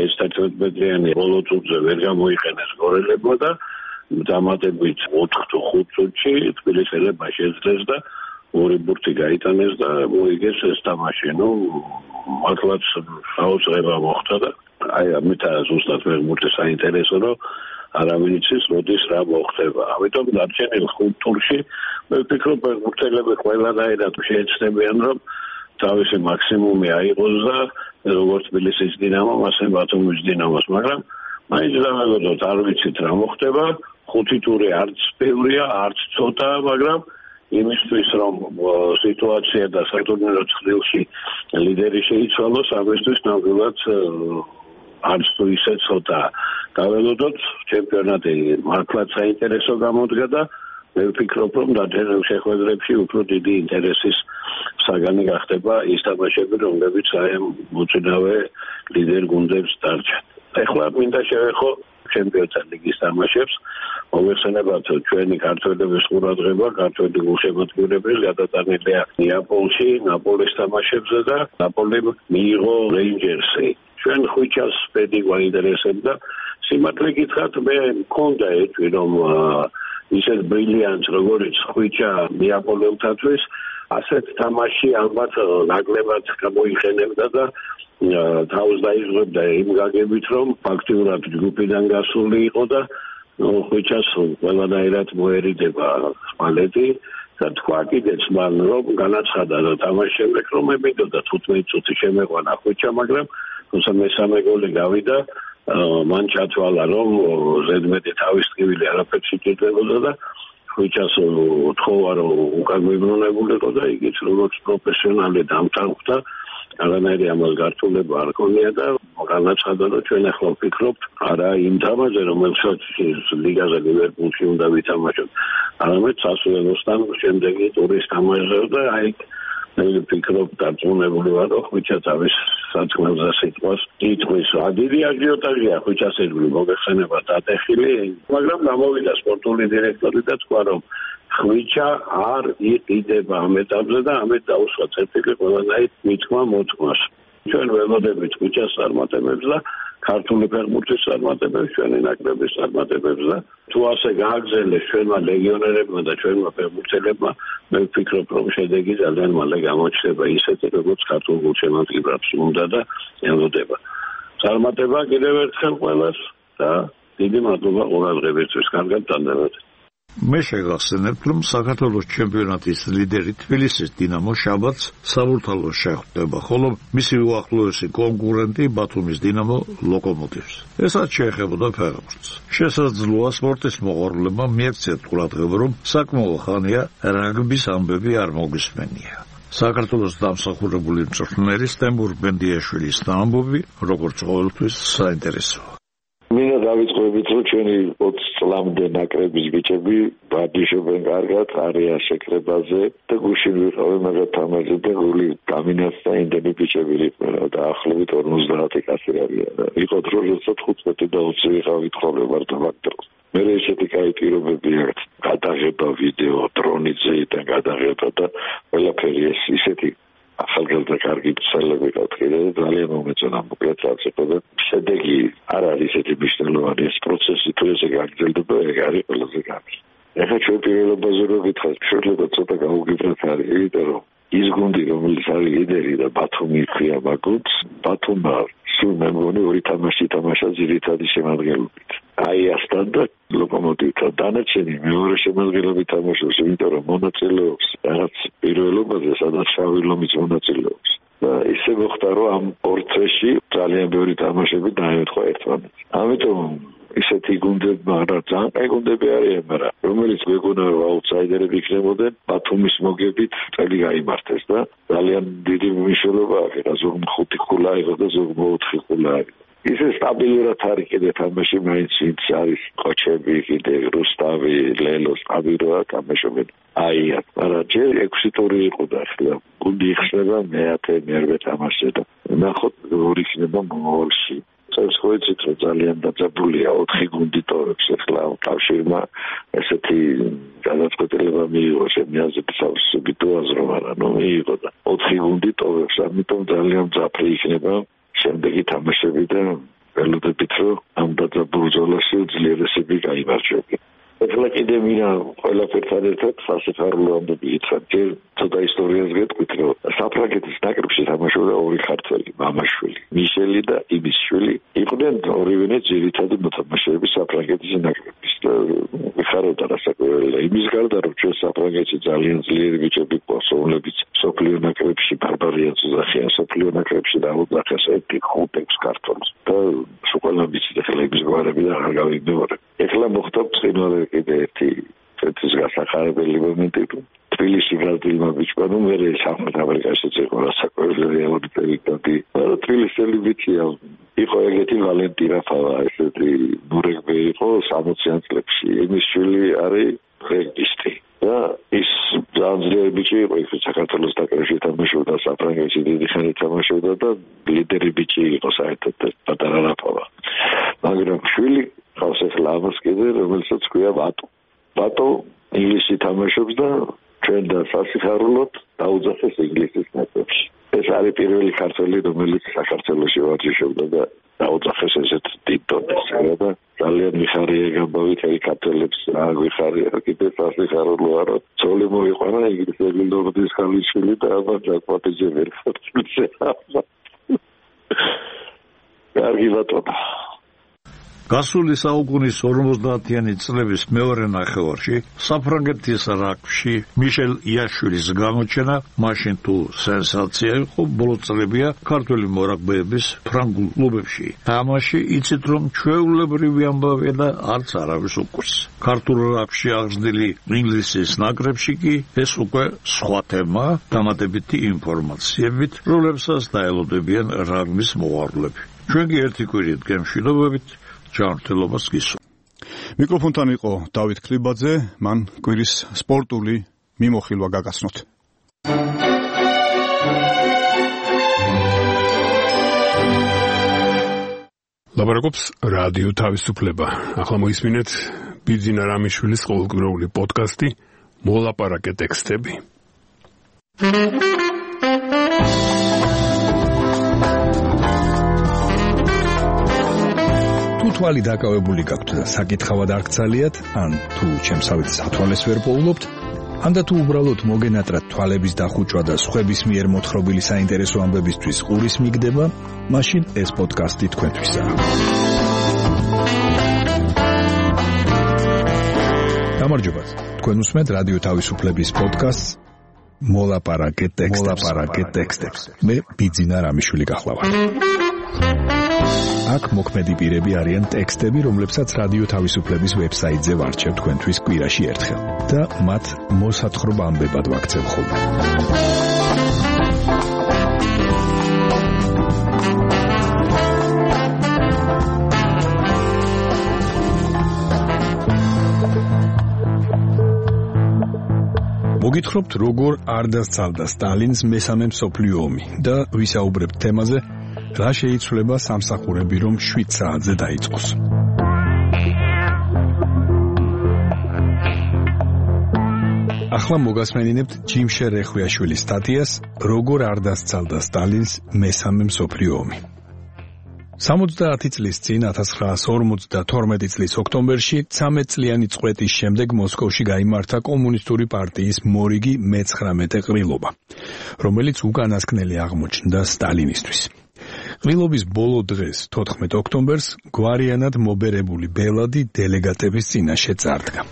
ეს თერთმეტ მეტრიანი ბოლო წუთზე ვერ გამოიყენეს გორელებმა და დამატებით ოთხ თუ ხუთ წუთში თბილისელებმა შეძლეს და ორი ბურთი გაიტანეს და მოიგეს ეს თამაში. ნუ მართლაც საოცრება მოხდა და აი ამითა ზუსტად ფეხბურთი საინტერესო, რომ არავინ იცის როდის რა მოხდება. ამიტომ დარჩენილ ხუთ ტურში მე ვფიქრობ ფეხბურთელები ყველანაირად შეეცდებიან, რომ თავისი მაქსიმუმი აიღოს და როგორც თბილისის დინამომ, ასე ბათუმის დინამოს, მაგრამ მაინც დავაგოდოთ, არ ვიცით რა მოხდება. ხუთი ტური არც ბევრია, არც ცოტა, მაგრამ იმისთვის რომ სიტუაცია და სატურნირო ცხრილში ლიდერი შეიცვალოს, ამისთვის ნამდვილად არც თუ ისე ცოტა. დაველოდოთ, ჩემპიონატი მართლაც საინტერესო გამოდგა და მე ვფიქრობ, რომ დადებულ შეხვედრებში უფრო დიდი ინტერესის საგანი გახდება ის თამაშები, რომლებიც აი ამ მოწინავე ლიდერ გუნდებს დარჩათ. ეხლა მინდა შევეხო ჩემპიონთა ლიგის თამაშებს. მოგეხსენებათ ჩვენი ქართველების ყურადღება, ქართველი გულშემატკივრები გადატანილია ნეაპოლში, ნაპოლის თამაშებზე და ნაპოლიმ მიიღო რეინჯერსი. ჩვენ ხვიჩას პედი გვაინტერესებდა. სიმართლე გითხრათ, მე მქონდა ეჭვი, რომ ისეთ ბრილიანტს, როგორც ხვიჩა ნეაპოლელთათვის, ასეთ თამაში ალბათ ნაკლებად გამოიყენებდა და თავს დაიღებდა იმ გაგებით, რომ ფაქტიურად ჯგუფიდან გასული იყო და ხვიჩას ყველანაირად მოერიდება სპალეტი და თქვა კიდეც მან, რომ განაცხადა და თამაშის შემდეგ, რომ ებიდოდა თხუთმეტი წუთი შემეყვანა ხვიჩა, მაგრამ თუმცა მესამე გოლი გავიდა, მან ჩათვალა, რომ ზედმეტი თავის ტკივილი არაფერს იკეთებოდა და ხვიჩას თხოვა, რომ უკან მიბრუნებულიყო და იგიც როგორც პროფესიონალი დამტანხდა, არანაირი ამას გართულება არ ქონია და განაცხადა, რომ ჩვენ ახლა ვფიქრობთ არა იმ თამაშზე, რომელსაც ლიგაზე ლივერპულში უნდა ვითამაშოთ, არამედ სასულელოსთან შემდეგი ტურის თამაშზე და აი მე ვფიქრობ დარწმუნებული ვარ, რომ ხვიჩა თავის საწყლებზე სიტყვას იტყვის. ადირი აჟიოტაჟია ხვიჩას ირგვლივ, მოგეხსენებათ ატეხილი, მაგრამ გამოვიდა სპორტული დირექტორი და თქვა, რომ ხვიჩა არ იყიდება ამ ეტაპზე და ამით დაუსვა წერტილი ყველანაირ მითქმა მოთქმას. ჩვენ ველოდებით ხვიჩას წარმატებებს და ქართული ფეხბურთის წარმატებებს, ჩვენი ნაკრების წარმატებებს და თუ ასე გააგრძელეს ჩვენმა ლეგიონერებმა და ჩვენმა ფეხბურთელებმა, მე ვფიქრობ, რომ შედეგი ძალიან მალე გამოჩნდება ისეთი, როგორც ქართულ გულშემატკივრებს უნდა და ელოდება. წარმატება კიდევ ერთხელ ყველას და დიდი მადლობა ყურადღებისთვის. კარგად ტანდებათ. მე შეგახსენებთ, რომ საქართველოს ჩემპიონატის ლიდერი თბილისის დინამო შაბათს საბურთალოს შეხვდება, ხოლო მისი უახლოესი კონკურენტი ბათუმის დინამო ლოკომოტივს. ესაც შეეხებოდა ფეხბურთს. შესაძლოა სპორტის მოყვარულებმა მიექცეთ ყურადღება, რომ საკმაო ხანია რაგბის ამბები არ მოგვისმენია. საქართველოს დამსახურებული მწვრთნელის ტემურ ბენდიაშვილის ამბები, როგორც ყოველთვის, საინტერესოა. მინდა დავიწყოთ, რომ ჩვენი ოცი წლამდე ნაკრების ბიჭები ბადიშობენ კარგად, არიან შეკრებაზე და გუშინ ვიყავი მაგათ თამაშზე და გული გამინაც და იმდენი ბიჭები იყვნენ და დაახლოებით ორმოცდაათი კაცი არიან. იყო დრო, როცა თხუთმეტი და ოცი ვიყავით ხოლმე მარტო მაგ დროს. მე ესეთი კაი პირობები აქვს. გადაღება ვიდეო, დრონიზე და გადაღება და ყველაფერი ეს ისეთი ახალგაზრდა კარგი ცელები ყავდა და ძალიან მომეწონა მოკლედ რაც იყო და შედეგი არ არის ესეთი მნიშვნელოვანი ეს პროცესი თუ ესე გაგრძელდება ეგ არის ყველაზე კარგი. ეხლა ჩვენ პირველობაზე რო გითხარით შეიძლება ცოტა გაუგიბროთ არის იმიტომ რომ ის გუნდი რომელიც არის ლიდერი და ბათუმი ხია მაგუც ბათუმმა სულ მე მგონი ორი თამაში თამაშა ძირითადი შემადგენლობით. აი ასთან და ლოკომოტივთან დანარჩენი მეორე შემადგენლობით თამაშობს, იმიტომ რომ მონაწილეობს რაღაც პირველობაზე, სადაც შავი ლომიც მონაწილეობს. და ისე მოხდა, რომ ამ ორ წრეში ძალიან ბევრი თამაშები დაემთხვა ერთმანეთს. ამიტომ ისეთი გუნდები, მაგრამ ძალიან კაი გუნდები არიან, მაგრამ რომელიც მეგონა რომ აუტსაიდერები იქნებოდნენ, ბათუმის მოგებით წელი გაიმართეს და ძალიან დიდი მნიშვნელობა აქვს. ზოგ ხუთი ხულა იყო და ზოგ ოთხი ხულა იყო. ისე სტაბილურად არის კიდე თამაში, მაინც ის არის ყოჩები, კიდე რუსტავი, ლელო სტაბილურად თამაშობენ. აი, მაგრამ ჯერ ექვსი ტური იყო და ახლა გუნდი იხსნება მეათე, მერვე თამაშზე და ნახოთ როგორ იქნება მომავალში. წელს ხო იცით რომ ძალიან დაძაბულია ოთხი გუნდი ტოვებს ახლა კავშირმა ესეთი განაცხადება მიიღო შემიაზების სუბიტუაზ რომ არა ნუ მიიღო და ოთხი გუნდი ტოვებს ამიტომ ძალიან ძაფრი იქნება შემდეგი თამაშები და ველოდებით რომ ამ დაძაბულ ზოლაში ძლიერესები გაიმარჯვებიან. ეხლა კიდე მინდა ყველაფერთან ერთად სასიფარულო ამბები გითხრათ. ჯერ ცოტა ისტორიას გეტყვით, რომ საფრანგეთის ნაკრებში თამაშობდა ორი ქართველი, მამაშვილი, მიშელი და იმისშვილი. იყვნენ ორივე ძირითადი მოთამაშეები საფრანგეთის ნაკრების. ვიხარავდა რასაკვირველია. იმის გარდა, რომ ჩვენ საფრანგეთში ძალიან ძლიერი ბიჭები გვყავს, რომლებიც სოფლიო ნაკრებში ბარბარიანს უძახიან, სოფლიო ნაკრებში დაუძახეს ერთი ხუთექვს ქართველს. და სულ ვიცით ახლა იმის გვარები და არ გავიმეორებ. ეხლა მოხდა ბრწყინვალე კიდე ერთი წეთის გასახარებელი მომენტი თბილისში გაზრდილმა ბიჭმა ნუ მე სამხრეთ ამერიკაშიც იყო რასაკვირველია ორი პერიოდი მაგრამ თბილისელი ბიჭია იყო ეგეთი ვალენტი რაფავა ესეთი ნურეგბე იყო სამოციან წლებში იმის შვილი არის რეგბისტი და ის ძალიან ბიჭი იყო, ის საქართველოს დაკრებში თამაშობდა, საფრანგეთში დიდი ხანი თამაშობდა და ლიდერი ბიჭი იყო საერთოდ პატარა რაფავა. მაგრამ შვილი ხავს ახლა ამას კიდე, რომელსაც ქვია ბატო. ბატო ინგლისში თამაშობს და ჩვენ და სასიხარულოდ დაუძახეს ინგლისის ნაკრებში. ეს არის პირველი ქართველი, რომელიც საქართველოში ვარჯიშობდა და დაუძახეს ესეთ დიდ დონეზე და ძალიან მიხარია გამბავით აი ქართველებს რა გვიხარია კიდე სასიხარულოა რომ ძოლი მოიყვანა ინგლისელი ნორდის ხალიშვილი და ამას დაკვატეჯე ვერ ხარჯούσε. კარგი ბატონო. გასული საუკუნის ორმოცდაათიანი წლების მეორე ნახევარში საფრანგეთის რაგბში მიშელ იაშვილის გამოჩენა მაშინ თუ სენსაცია იყო, ბოლო წლებია ქართველი მორაგბეების ფრანგულ კლუბებში. თამაში იცით რომ ჩვეულებრივი ამბავია და არც არავის უკვირს. ქართულ რაგბში აღზრდილი ინგლისის ნაკრებში კი ეს უკვე სხვა თემა, დამატებითი ინფორმაციებით, რომლებსაც დაელოდებიან რაგბის მოყვარულები. ჩვენ კი ერთი კვირით გემშვიდობებით ჯანმრთელობას გისურვებთ. მიკროფონთან იყო დავით ქრიბაძე, მან კვირის სპორტული მიმოხილვა გაგაცნოთ. ლაბარაკობს რადიო თავისუფლება. ახლა მოისმინეთ ბიძინა რამიშვილის ყოველკვირეული პოდკასტი მოლაპარაკე ტექსტები. თვალი დაკავებული გაქვთ და საკითხავად არ გცალიათ, ან თუ ჩემსავით სათვალეს ვერ პოულობთ, ან და თუ უბრალოდ მოგენატრათ თვალების დახუჭვა და სხვების მიერ მოთხრობილი საინტერესო ამბებისთვის ყურის მიგდება, მაშინ ეს პოდკასტი თქვენთვისაა. გამარჯობათ, თქვენ უსმენთ რადიო თავისუფლების პოდკასტს მოლაპარაკე ტექსტებს. მე ბიძინა რამიშვილი გახლავართ. აქ მოქმედი პირები არიან ტექსტები, რომლებსაც რადიო თავისუფლების ვებსაიტზე ვარჩევ თქვენთვის კვირაში ერთხელ და მათ მოსათხრობ ამბებად ვაქცევ ხოლმე. მოგითხრობთ, როგორ არ დასცალდა სტალინს მესამე მსოფლიო ომი და ვისაუბრებთ თემაზე, რა შეიცვლება სამსახურები, რომ შვიდ საათზე დაიწყოს. ახლა მოგასმენინებთ ჯიმშე რეხვიაშვილის სტატიას როგორ არ დასცალდა სტალინს მესამე მსოფლიო ომი. სამოცდაათი წლის წინ ათას ცხრაასი ორმოცდათორმეტი წლის ოქტომბერში ცამეტწლიანი წყვეტის შემდეგ მოსკოვში გაიმართა კომუნისტური პარტიის მორიგი მეცხრამეტე ყრილობა, რომელიც უკანასკნელი აღმოჩნდა სტალინისთვის. ყრილობის ბოლო დღეს, თოთხმეტ ოქტომბერს, გვარიანად მობერებული ბელადი დელეგატების წინაშე წარდგა.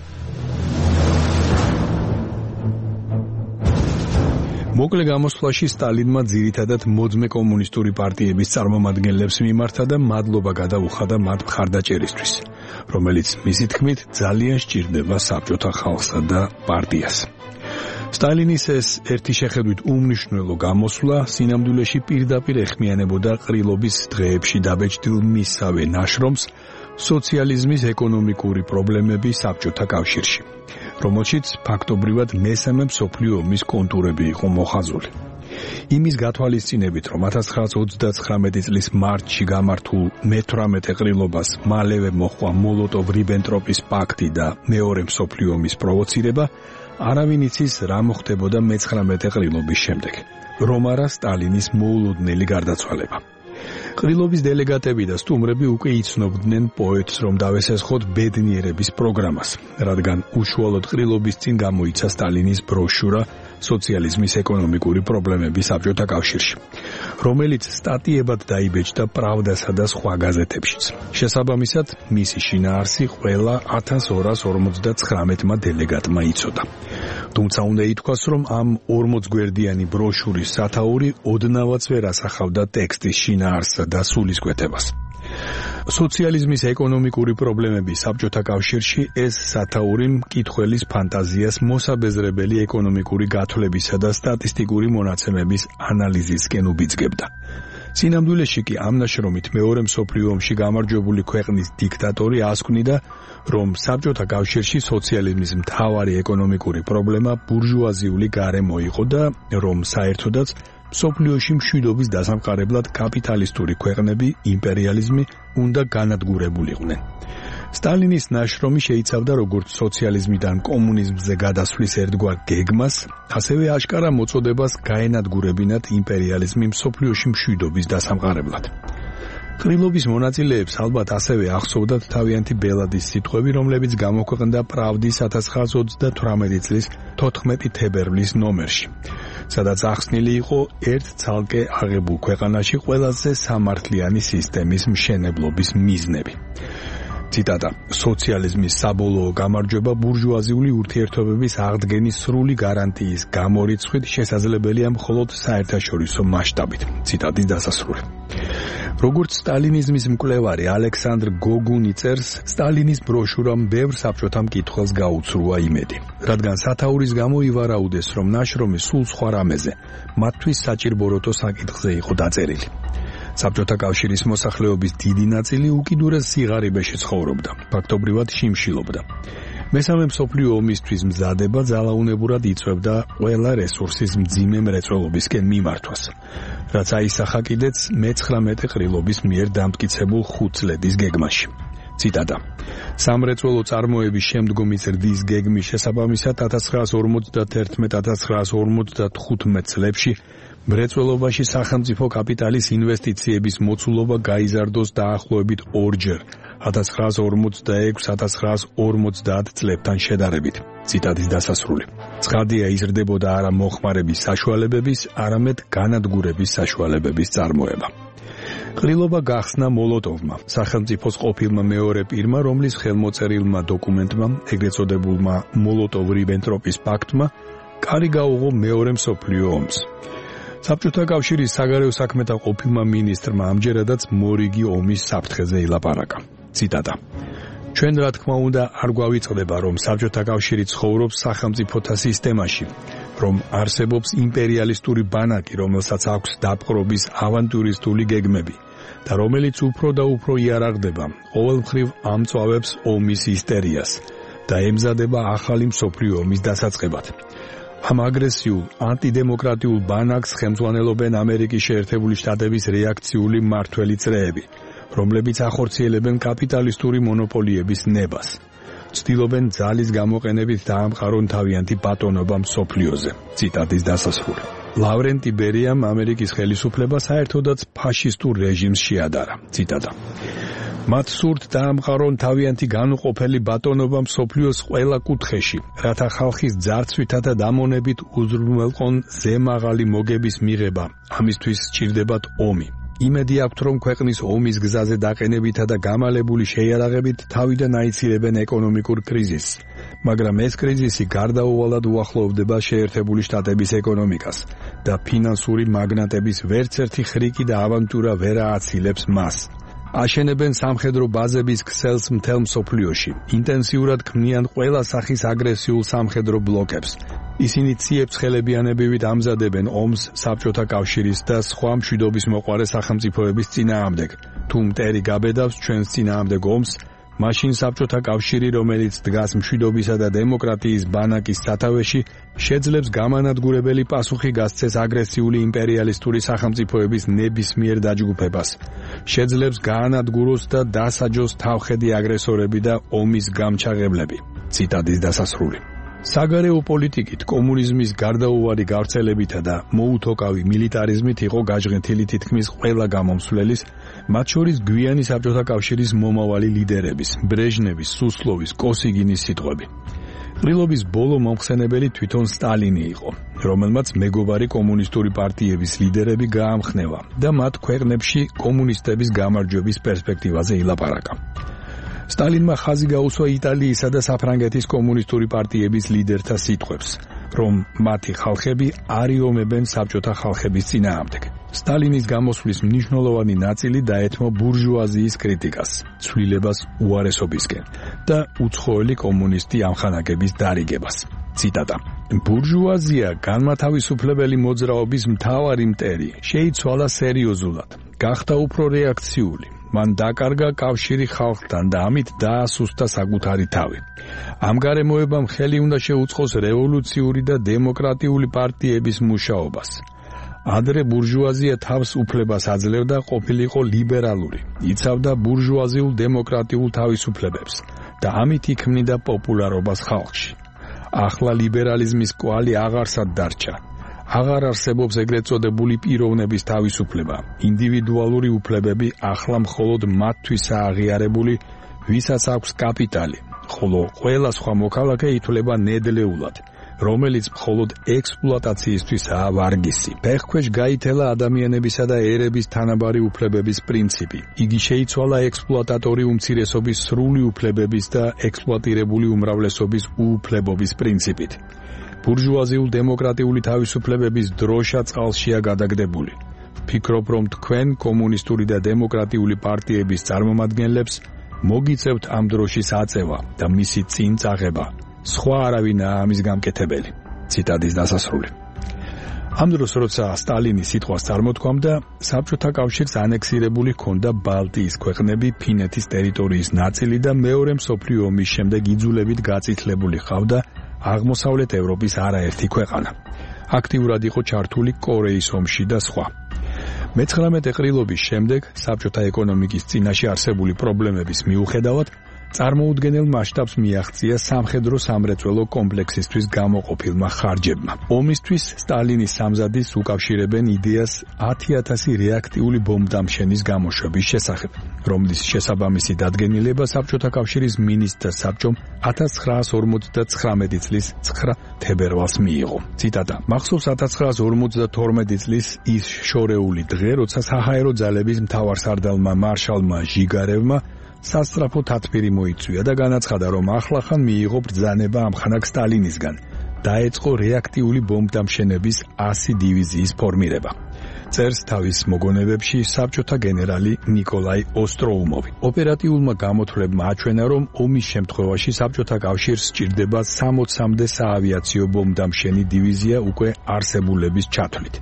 მოკლე გამოსვლაში სტალინმა ძირითადად მოძმე კომუნისტური პარტიების წარმომადგენლებს მიმართა და მადლობა გადაუხადა მათ მხარდაჭერისთვის, რომელიც მისი თქმით ძალიან სჭირდება საბჭოთა ხალხსა და პარტიას. სტალინის ეს ერთი შეხედვით უმნიშვნელო გამოსვლა სინამდვილეში პირდაპირ ეხმიანებოდა ყრილობის დღეებში დაბეჭდილ მისსავე ნაშრომს სოციალიზმის ეკონომიკური პრობლემები საბჭოთა კავშირში, რომელშიც ფაქტობრივად მესამე მსოფლიო ომის კონტურები იყო მოხაზული. იმის გათვალისწინებით, რომ ათას ცხრაასი ოცდაცხრამეტი წლის მარტში გამართულ მეთვრამეტე ყრილობას მალევე მოჰყვა მოლოტოვ-რიბენტროპის პაქტი და მეორე მსოფლიო ომის პროვოცირება, არავინ იცის რა მოხდებოდა მეცხრამეტე ყრილობის შემდეგ, რომ არა სტალინის მოულოდნელი გარდაცვალება. ყრილობის დელეგატები და სტუმრები უკვე იცნობდნენ პოეტს, რომ დავესესხოთ ბედნიერების პროგრამას, რადგან უშუალოდ ყრილობის წინ გამოიცა სტალინის ბროშურა სოციალიზმის ეკონომიკური პრობლემები საბჭოთა კავშირში, რომელიც სტატიებად დაიბეჭდა პრავდასა და სხვა გაზეთებშიც. შესაბამისად, მისი შინაარსი ყველა ათას ორასი ორმოცდაცხრამეტმა დელეგატმა იცოდა. თუმცა უნდა ითქვას, რომ ამ ორმოცგვერდიანი ბროშურის სათაური ოდნავაც ვერ ასახავდა ტექსტის შინაარსსა და სულისკვეთებას. სოციალიზმის ეკონომიკური პრობლემები საბჭოთა კავშირში ეს სათაური მკითხველის ფანტაზიას მოსაბეზრებელი ეკონომიკური გათვლებისა და სტატისტიკური მონაცემების ანალიზისკენ უბიძგებდა. სინამდვილეში კი ამ ნაშრომით მეორე მსოფლიო ომში გამარჯვებული ქვეყნის დიქტატორი ასკვნიდა, რომ საბჭოთა კავშირში სოციალიზმის მთავარი ეკონომიკური პრობლემა ბურჟუაზიული გარემო იყო და რომ საერთოდაც მსოფლიოში მშვიდობის დასამყარებლად კაპიტალისტური ქვეყნები, იმპერიალიზმი უნდა განადგურებულიყვნენ. სტალინის ნაშრომი შეიცავდა როგორც სოციალიზმიდან კომუნიზმზე გადასვლის ერთგვარ გეგმას, ასევე აშკარა მოწოდებას გაენადგურებინათ იმპერიალიზმი მსოფლიოში მშვიდობის დასამყარებლად. ყრილობის მონაწილეებს ალბათ ასევე ახსოვდათ თავიანთი ბელადის სიტყვები, რომლებიც გამოქვეყნდა პრავდის ათას ცხრაასი ოცდათვრამეტი წლის თოთხმეტი თებერვლის ნომერში, სადაც ახსნილი იყო ერთ ცალკე აღებულ ქვეყანაში ყველაზე სამართლიანი სისტემის მშენებლობის მიზნები. ციტატა: სოციალიზმის საბოლოო გამარჯვება ბურჟუაზიული ურთიერთობების აღდგენის სრული გარანტიის გამორიცხვით შესაძლებელია მხოლოდ საერთაშორისო მასშტაბით. ციტატის დასასრული. როგორც სტალინიზმის მკვლევარი ალექსანდრ გოგუნი წერს, სტალინის ბროშურამ ბევრ საბჭოთა მკითხველს გაუცრუა იმედი, რადგან სათაურის გამო ივარაუდეს, რომ ნაშრომი სულ სხვა რამეზე, მათთვის საჭირბოროტო საკითხზე იყო დაწერილი. საბჭოთა კავშირის მოსახლეობის დიდი ნაწილი უკიდურეს სიღარიბეში ცხოვრობდა, ფაქტობრივად შიმშილობდა. მესამე მსოფლიო ომისთვის მზადება ძალაუნებურად იწვევდა ყველა რესურსის მძიმე მრეწველობისკენ მიმართვას, რაც აისახა კიდეც მეცხრამეტე ყრილობის მიერ დამტკიცებულ ხუთწლედის გეგმაში. ციტატა: სამრეწველო წარმოების შემდგომი ზრდის გეგმის შესაბამისად ათას ცხრაასი ორმოცდათერთმეტ ათას ცხრაასი ორმოცდახუთმეტ წლებში მრეწველობაში სახელმწიფო კაპიტალის ინვესტიციების მოცულობა გაიზარდოს დაახლოებით ორჯერ ათას ცხრაასი ორმოცდაექვსი ათას ცხრაასი ორმოცდაათ წლებთან შედარებით. ციტატის დასასრული. ცხადია, იზრდებოდა არა მოხმარების საშუალებების, არამედ განადგურების საშუალებების წარმოება. ყრილობა გახსნა მოლოტოვმა, სახელმწიფოს ყოფილმა მეორე პირმა, რომლის ხელმოწერილმა დოკუმენტმა, ეგრეთ წოდებულმა მოლოტოვ-რიბენტროპის პაქტმა, კარი გაუღო მეორე მსოფლიო ომს. საბჭოთა კავშირის საგარეო საქმეთა ყოფილმა მინისტრმა ამჯერადაც მორიგი ომის საფრთხეზე ილაპარაკა. ციტატა: ჩვენ რა თქმა უნდა არ გვავიწყდება, რომ საბჭოთა კავშირი ცხოვრობს სახელმწიფოთა სისტემაში, რომ არსებობს იმპერიალისტური ბანაკი, რომელსაც აქვს დაპყრობის ავანტურისტული გეგმები და რომელიც უფრო და უფრო იარაღდება, ყოველმხრივ ამწვავებს ომის ისტერიას და ემზადება ახალი მსოფლიო ომის დასაწყებად. ამ აგრესიულ, ანტიდემოკრატიულ ბანაკს ხელმძღვანელობენ ამერიკის შეერთებული შტატების რეაქციული მმართველი წრეები, რომლებიც ახორციელებენ კაპიტალისტური მონოპოლიების ნებას. ცდილობენ ძალის გამოყენებით დაამყარონ თავიანთი ბატონობა მსოფლიოზე. ციტატის დასასრული. ლავრენტი ბერიამ ამერიკის ხელისუფლება საერთოდაც ფაშისტურ რეჟიმს შეადარა. ციტატა: მათ სურთ დაამყარონ თავიანთი განუყოფელი ბატონობა მსოფლიოს ყველა კუთხეში, რათა ხალხის ძარცვითა და დამონებით უზრუნველყონ ზემაღალი მოგების მიღება. ამისთვის სჭირდებათ ომი. იმედი აქვთ, რომ ქვეყნის ომის გზაზე დაყენებითა და გამალებული შეიარაღებით თავიდან აიცირებენ ეკონომიკურ კრიზისს, მაგრამ ეს კრიზისი გარდაუვალად უახლოვდება შეერთებული შტატების ეკონომიკას და ფინანსური მაგნატების ვერცერთი ხრიკი და ავანტურა ვერ ააცილებს მას. აშენებენ სამხედრო ბაზების ქსელს მთელ მსოფლიოში, ინტენსიურად ქმნიან ყველა სახის აგრესიულ სამხედრო ბლოკებს. ისინი ციებ-ცხელებიანებივით ამზადებენ ომს საბჭოთა კავშირის და სხვა მშვიდობის მოყვარე სახელმწიფოების წინააღმდეგ. თუ მტერი გაბედავს ჩვენს წინააღმდეგ ომს, მაშინ საბჭოთა კავშირი, რომელიც დგას მშვიდობისა და დემოკრატიის ბანაკის სათავეში, შეძლებს გამანადგურებელი პასუხი გასცეს აგრესიული იმპერიალისტური სახელმწიფოების ნებისმიერ დაჯგუფებას. შეძლებს გაანადგუროს და დასაჯოს თავხედი აგრესორები და ომის გამჩაღებლები. ციტატის დასასრული. საგარეო პოლიტიკით, კომუნიზმის გარდაუვალი გავრცელებითა და მოუთოკავი მილიტარიზმით იყო გაჟღენთილი თითქმის ყველა გამომსვლელის, მათ შორის გვიანი საბჭოთა კავშირის მომავალი ლიდერების, ბრეჟნევის, სუსლოვის, კოსიგინის სიტყვები. ყრილობის ბოლო მომხსენებელი თვითონ სტალინი იყო, რომელმაც მეგობარი კომუნისტური პარტიების ლიდერები გაამხნევა და მათ ქვეყნებში კომუნისტების გამარჯვების პერსპექტივაზე ილაპარაკა. სტალინმა ხაზი გაუსვა იტალიისა და საფრანგეთის კომუნისტური პარტიების ლიდერთა სიტყვებს, რომ მათი ხალხები არიომებენ საბჭოთა ხალხების წინააღმდეგ. სტალინის გამოსვლის მნიშვნელოვანი ნაწილი დაეთმო ბურჟუაზიის კრიტიკას, ცვლილებას უარესობისკენ და უცხოელი კომუნისტი ამხანაგების დარიგებას. ციტატა. ბურჟუაზია განმათავისუფლებელი მოძრაობის მთავარი მტერი, შეიცვალა სერიოზულად, გახდა უფრო რეაქციული. მან დაკარგა კავშირი ხალხთან და ამით დაასუსტა საკუთარი თავი. ამ გარემოებამ ხელი უნდა შეუწყოს რევოლუციური და დემოკრატიული პარტიების მუშაობას. ადრე ბურჟუაზია თავს უფლებას აძლევდა ყოფილიყო ლიბერალური, იცავდა ბურჟუაზიულ დემოკრატიულ თავისუფლებებს და ამით იქმნიდა პოპულარობას ხალხში. ახლა ლიბერალიზმის კვალი აღარსად დარჩა. აღარ არსებობს ეგრეთ წოდებული პიროვნების თავისუფლება. ინდივიდუალური უფლებები ახლა მხოლოდ მათთვისაა აღიარებული, ვისაც აქვს კაპიტალი, ხოლო ყველა სხვა მოქალაქე ითვლება ნედლეულად, რომელიც მხოლოდ ექსპლუატაციისთვისაა ვარგისი. ფეხქვეშ გაითელა ადამიანებისა და ერების თანაბარი უფლებების პრინციპი. იგი შეიცვალა ექსპლუატატორი უმცირესობის სრული უფლებების და ექსპლუატირებული უმრავლესობის უუფლებობის პრინციპით. ბურჟუაზიულ დემოკრატიული თავისუფლებების დროშა წყალშია გადაგდებული. ვფიქრობ, რომ თქვენ კომუნისტური და დემოკრატიული პარტიების წარმომადგენლებს მოგიწევთ ამ დროშის აწევა და მისი წინ წაღება. სხვა არავინაა ამის გამკეთებელი. ციტატის დასასრული. ამ დროს, როცა სტალინის სიტყვას წარმოთქვამდა, საბჭოთა კავშირს ანექსირებული ჰქონდა ბალტიის ქვეყნები, ფინეთის ტერიტორიის ნაწილი და მეორე მსოფლიო ომის შემდეგ იძულებით გაწითლებული ჰყავდა აღმოსავლეთ ევროპის არაერთი ქვეყანა. აქტიურად იყო ჩართული კორეის ომში და სხვა. მეცხრამეტე ყრილობის შემდეგ საბჭოთა ეკონომიკის წინაშე არსებული პრობლემების მიუხედავად წარმოუდგენელ მასშტაბს მიაღწია სამხედრო სამრეწველო კომპლექსისთვის გამოყოფილმა ხარჯებმა. ომისთვის სტალინის სამზადისს უკავშირებენ იდეას ათი ათასი რეაქტიული ბომბდამშენის გამოშვების შესახებ, რომლის შესაბამისი დადგენილება საბჭოთა კავშირის მინისტრთა საბჭომ ათას ცხრაას ორმოცდათხრამეტი წლის ცხრა თებერვალს მიიღო. ციტატა. მახსოვს ათას ცხრაას ორმოცდათორმეტი წლის ის შორეული დღე, როცა საჰაერო ძალების მთავარსარდალმა მარშალმა ჟიგარევმა სასწრაფო თათბირი მოიწვია და განაცხადა, რომ ახლახან მიიღო ბრძანება ამხანაგ სტალინისგან. დაეწყო რეაქტიული ბომბდამშენების ასი დივიზიის ფორმირება. წერს თავის მოგონებებში საბჭოთა გენერალი ნიკოლაი ოსტროუმოვი. ოპერატიულმა გამოთვლებმა აჩვენა, რომ ომის შემთხვევაში საბჭოთა კავშირს სჭირდება სამოცამდე საავიაციო ბომბდამშენი დივიზია უკვე არსებულების ჩათვლით.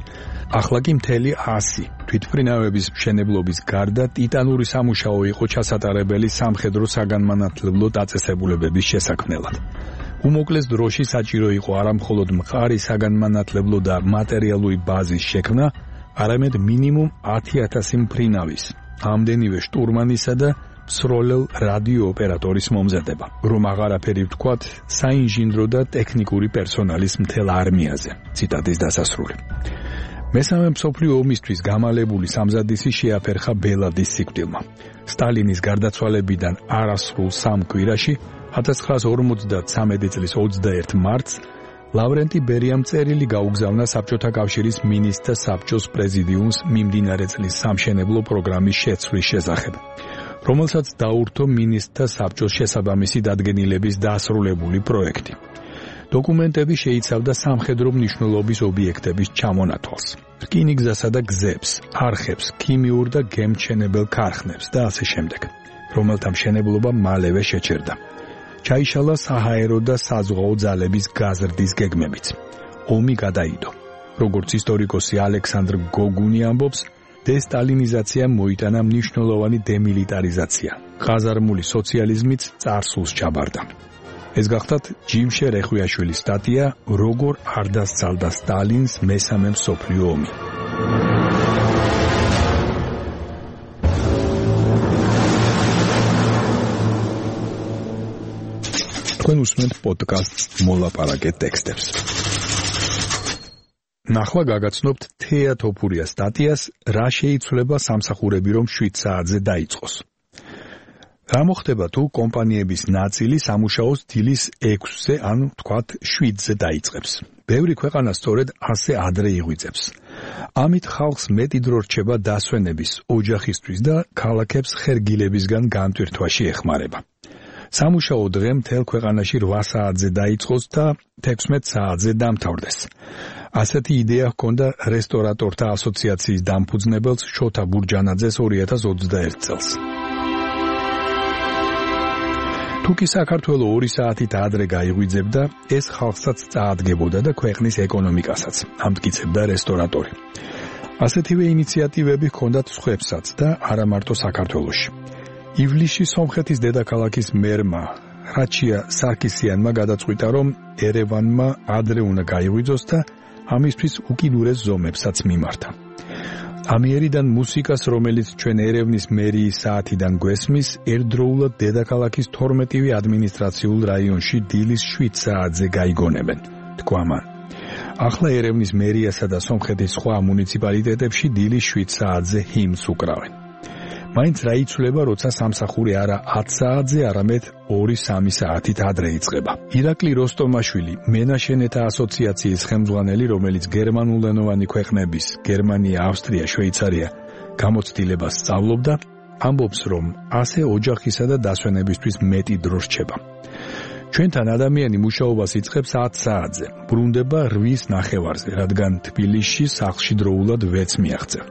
ახლა კი მთელი ასი თვითმფრინავების მშენებლობის გარდა ტიტანური სამუშაო იყო ჩასატარებელი სამხედრო საგანმანათლებლო დაწესებულებების შესაქმნელად. უმოკლეს დროში საჭირო იყო არა მხოლოდ მყარი საგანმანათლებლო და მატერიალური ბაზის შექმნა, არამედ მინიმუმ ათი ათასი მფრინავის, ამდენივე შტურმანისა და მსროლელ რადიო ოპერატორის მომზადება, რომ აღარაფერი ვთქვათ საინჟინრო და ტექნიკური პერსონალის მთელ არმიაზე. ციტატის დასასრული. მესამე მსოფლიო ომისთვის გამალებული სამზადისი შეაფერხა ბელადის სიკვდილმა. სტალინის გარდაცვალებიდან არასრულ სამ კვირაში, ათას ცხრაას ორმოცდათვრამეტი წლის ოცდაერთი მარტს, ლავრენტი ბერიამ წერილი გაუგზავნა საბჭოთა კავშირის მინისტრთა საბჭოს პრეზიდიუმს მიმდინარე წლის სამშენებლო პროგრამის შეცვლის შესახებ, რომელსაც დაურთო მინისტრთა საბჭოს შესაბამისი დადგენილების დასრულებული პროექტი. დოკუმენტები შეიცავდა სამხედრო მნიშვნელობის ობიექტების ჩამონათვალს, რკინიგზასა და გზებს, არხებს, ქიმიურ და გემთჩენებელ ქარხნებს და ასე შემდეგ, რომელთა მშენებლობა მალევე შეჩერდა. ჩაიშალა საჰაერო და საზღვაო ძალების გაზრდის გეგმებიც. ომი გადაიდო. როგორც ისტორიკოსი ალექსანდრ გოგუნი ამბობს, დესტალინიზაციამ მოიტანა მნიშვნელოვანი დემილიტარიზაცია. ყაზარმული სოციალიზმიც წარსულს ჩაბარდა. ეს გახდათ ჯიმშე რეხვიაშვილის სტატია როგორ არ დასცალდა სტალინს მესამე მსოფლიო ომი. თქვენ უსმენთ პოდკასტს მოლაპარაკე ტექსტებს. ნახლა გაგაცნობთ თეა თოფურიას სტატიას რა შეიცვლება სამსახურები რომ შვიდ საათზე დაიწყოს. რა მოხდება თუ კომპანიების ნაწილი სამუშაოს დილის ექვსზე ან თქვათ შვიდზე დაიწყებს. ბევრი ქვეყანა სწორედ ასე ადრე იღვიძებს. ამით ხალხს მეტი დრო რჩება დასვენების, ოჯახისთვის და ქალაქებს ხერგილებისგან განტვირთვაში ეხმარება. სამუშაო დღე მთელ ქვეყანაში რვა საათზე დაიწყოს და თექვსმეტ საათზე დამთავრდეს. ასეთი იდეა ჰქონდა რესტორატორთა ასოციაციის დამფუძნებელს შოთა ბურჯანაძეს ორი ათას ოცდაერთი წელს. თუ თუ კი საქართველო ორი საათით ადრე გაიღვიძებდა, ეს ხალხსაც წაადგებოდა და ქვეყნის ეკონომიკასაც, ამტკიცებდა რესტორატორი. ასეთივე ინიციატივები ჰქონდათ სხვებსაც და არა მარტო საქართველოში. ივლისში სომხეთის დედაქალაქის მერმა რაჩია სარკისიანმა გადაწყვიტა, რომ ერევანმა ადრე უნდა გაიღვიძოს და ამისთვის უკიდურეს ზომებსაც მიმართა. ამიერიდან მუსიკას, რომელიც ჩვენ ერევნის მერიის საათიდან გვესმის, ერთდროულად დედაქალაქის თორმეტივე ადმინისტრაციულ რაიონში დილის შვიდ საათზე გაიგონებენ, თქვა მან. ახლა ერევნის მერიასა და სომხეთის სხვა მუნიციპალიტეტებში დილის შვიდ საათზე ჰიმნს უკრავენ. მაინც რა იცვლება, როცა სამსახური არა ათ საათზე, არამედ ორი სამი საათით ადრე იწყება. ირაკლი როსტომაშვილი, მენაშენეთა ასოციაციის ხელმძღვანელი, რომელიც გერმანულენოვანი ქვეყნების გერმანია, ავსტრია, შვეიცარია გამოცდილებას სწავლობდა, ამბობს, რომ ასე ოჯახისა და დასვენებისთვის მეტი დრო რჩება. ჩვენთან ადამიანი მუშაობას იწყებს ათ საათზე, ბრუნდება რვის ნახევარზე, რადგან თბილისში სახლში დროულად ვერც მიაღწევ.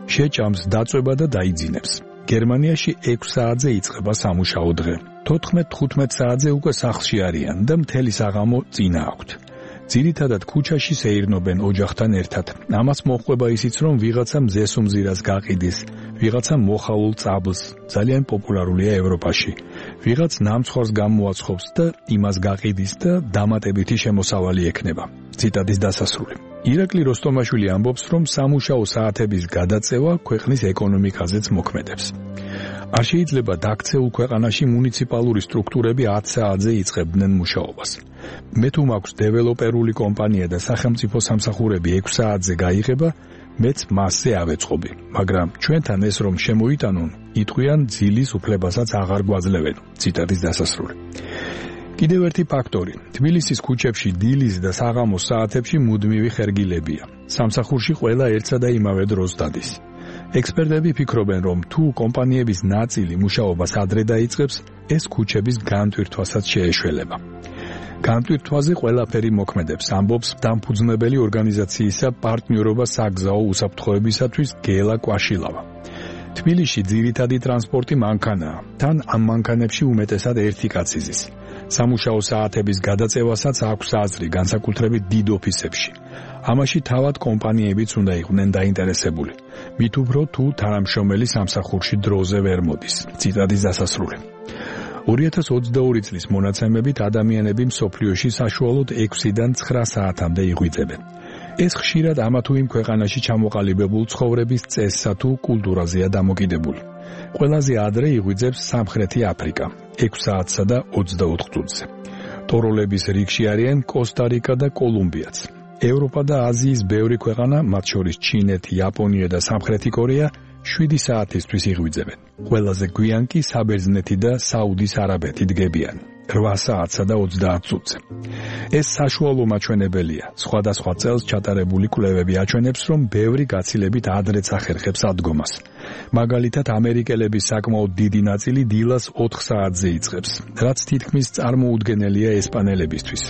შეჭამს დაწვება და დაიძინებს. გერმანიაში ექვს საათზე იწყება სამუშაო დღე. თოთხმეტ თხუთმეტ საათზე უკვე სახლში არიან და მთელი საღამო წინა აქვთ. ძირითადად ქუჩაში სეირნობენ ოჯახთან ერთად. ამას მოჰყვება ისიც, რომ ვიღაცა მზეს უმზირას გაყიდის, ვიღაცა მოხალულ წაბლს, ძალიან პოპულარულია ევროპაში. ვიღაც ნამცხვარს გამოაცხობს და იმას გაყიდის და დამატებითი შემოსავალი ექნება. ციტატის დასასრული. ირაკლი როსტომაშვილი ამბობს, რომ სამუშაო საათების გადაწევა ქვეყნის ეკონომიკაზეც მოქმედებს. არ შეიძლება დაქცეულ ქვეყანაში მუნიციპალური სტრუქტურები ათ საათზე იწყებდნენ მუშაობას. მე თუ მაქვს დეველოპერული კომპანია და სახელმწიფო სამსახურები ექვს საათზე გაიღება, მეც მასზე ავეწყობი, მაგრამ ჩვენთან ეს რომ შემოიტანონ, იტყვიან ძილის უფლებასაც აღარ გვაძლევენ. ციტატის დასასრული. კიდევ ერთი ფაქტორი. თბილისის ქუჩებში დილის და საღამოს საათებში მუდმივი ხერგილებია. სამსახურში ყველა ერთსა და იმავე დროს დადის. ექსპერტები ფიქრობენ, რომ თუ კომპანიების ნაწილი მუშაობას ადრე დაიწყებს, ეს ქუჩების განტვირთვასაც შეეშველება. განტვირთვაზე ყველაფერი მოქმედებს, ამბობს დამფუძნებელი ორგანიზაციისა პარტნიორობა საგზაო უსაფრთხოებისათვის გელა კვაშილავა. თბილისში ძირითადი ტრანსპორტი მანქანაა. თან ამ მანქანებში უმეტესად ერთი კაცი ზის. სამუშაო საათების გადაწევასაც აქვს აზრი, განსაკუთრებით დიდ ოფისებში. ამაში თავად კომპანიებიც უნდა იყვნენ დაინტერესებული. მით უფრო თუ თანამშრომელი სამსახურში დროზე ვერ მოდის. ციტატის დასასრული. ორი ათას ოცდაორი წლის მონაცემებით ადამიანები მსოფლიოში საშუალოდ ექვსიდან ცხრა საათამდე იღვიძებენ. ეს ხშირად ამა თუ იმ ქვეყანაში ჩამოყალიბებულ ცხოვრების წესსა თუ კულტურაზეა დამოკიდებული. ყველაზე ადრე იღვიძებს სამხრეთი აფრიკა, ექვს საათსა და ოცდაოთხ წუთზე. ტოროლების რიგში არიან კოსტა-რიკა და კოლუმბიაც. ევროპა და აზიის ბევრი ქვეყანა, მათ შორის ჩინეთი, იაპონია და სამხრეთი კორეა, შვიდი საათისთვის იღვიძებენ. ყველაზე გვიან კი საბერძნეთი და საუდის არაბეთი დგებიან, რვა საათსა და ოცდაათ წუთზე. ეს საშუალო მაჩვენებელია. სხვადასხვა წელს ჩატარებული კვლევები აჩვენებს, რომ ბევრი გაცილებით ადრეც ახერხებს ადგომას. მაგალითად, ამერიკელების საკმაოდ დიდი ნაწილი დილას ოთხ საათზე იწყებს, რაც თითქმის წარმოუდგენელია ესპანელებისთვის.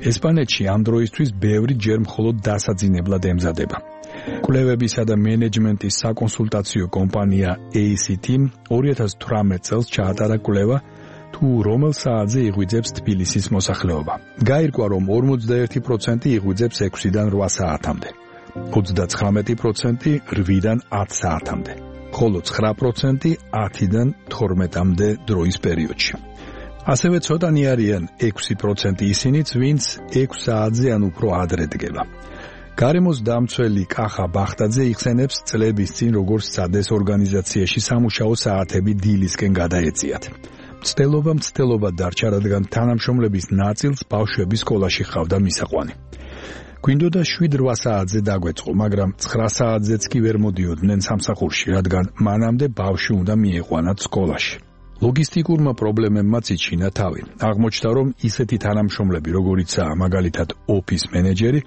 ესპანეთში ამ დროისთვის ბევრი ჯერ მხოლოდ დასაძინებლად ემზადება. კვლევებისა და მენეჯმენტის საკონსულტაციო კომპანია ეი სი თი-მ ორი ათას თვრამეტ წელს ჩაატარა კვლევა, თუ რომელ საათზე იღვიძებს თბილისის მოსახლეობა. გაირკვა, რომ ორმოცდაერთი პროცენტი იღვიძებს ექვსიდან რვა საათამდე, ოცდაცხრამეტი პროცენტი რვიდან ათ საათამდე, ხოლო ცხრა პროცენტი ათიდან თორმეტამდე დროის პერიოდში. ასევე ცოტანი არიან ექვსი პროცენტი ისინიც, ვინც ექვს საათზე ან უფრო ადრე დგება. გარემოს დამცველი კახა ბახტაძე იხსენებს წლების წინ როგორც სადეს ორგანიზაციაში სამუშაო საათები დილისკენ გადაეწიათ. მცდელობა მცდელობა დარჩა, რადგან თანამშრომლების ნაწილს ბავშვები სკოლაში ჰყავდა მისაყვანი. გვინდოდა შვიდ რვა საათზე დაგვეწყო, მაგრამ ცხრა საათზეც კი ვერ მოდიოდნენ სამსახურში, რადგან მანამდე ბავშვი უნდა მიიყვანათ სკოლაში. ლოგისტიკურმა პრობლემებმაც იჩინა თავი. აღმოჩნდა, რომ ისეთი თანამშრომლები, როგორიცაა მაგალითად ოფის მენეჯერი,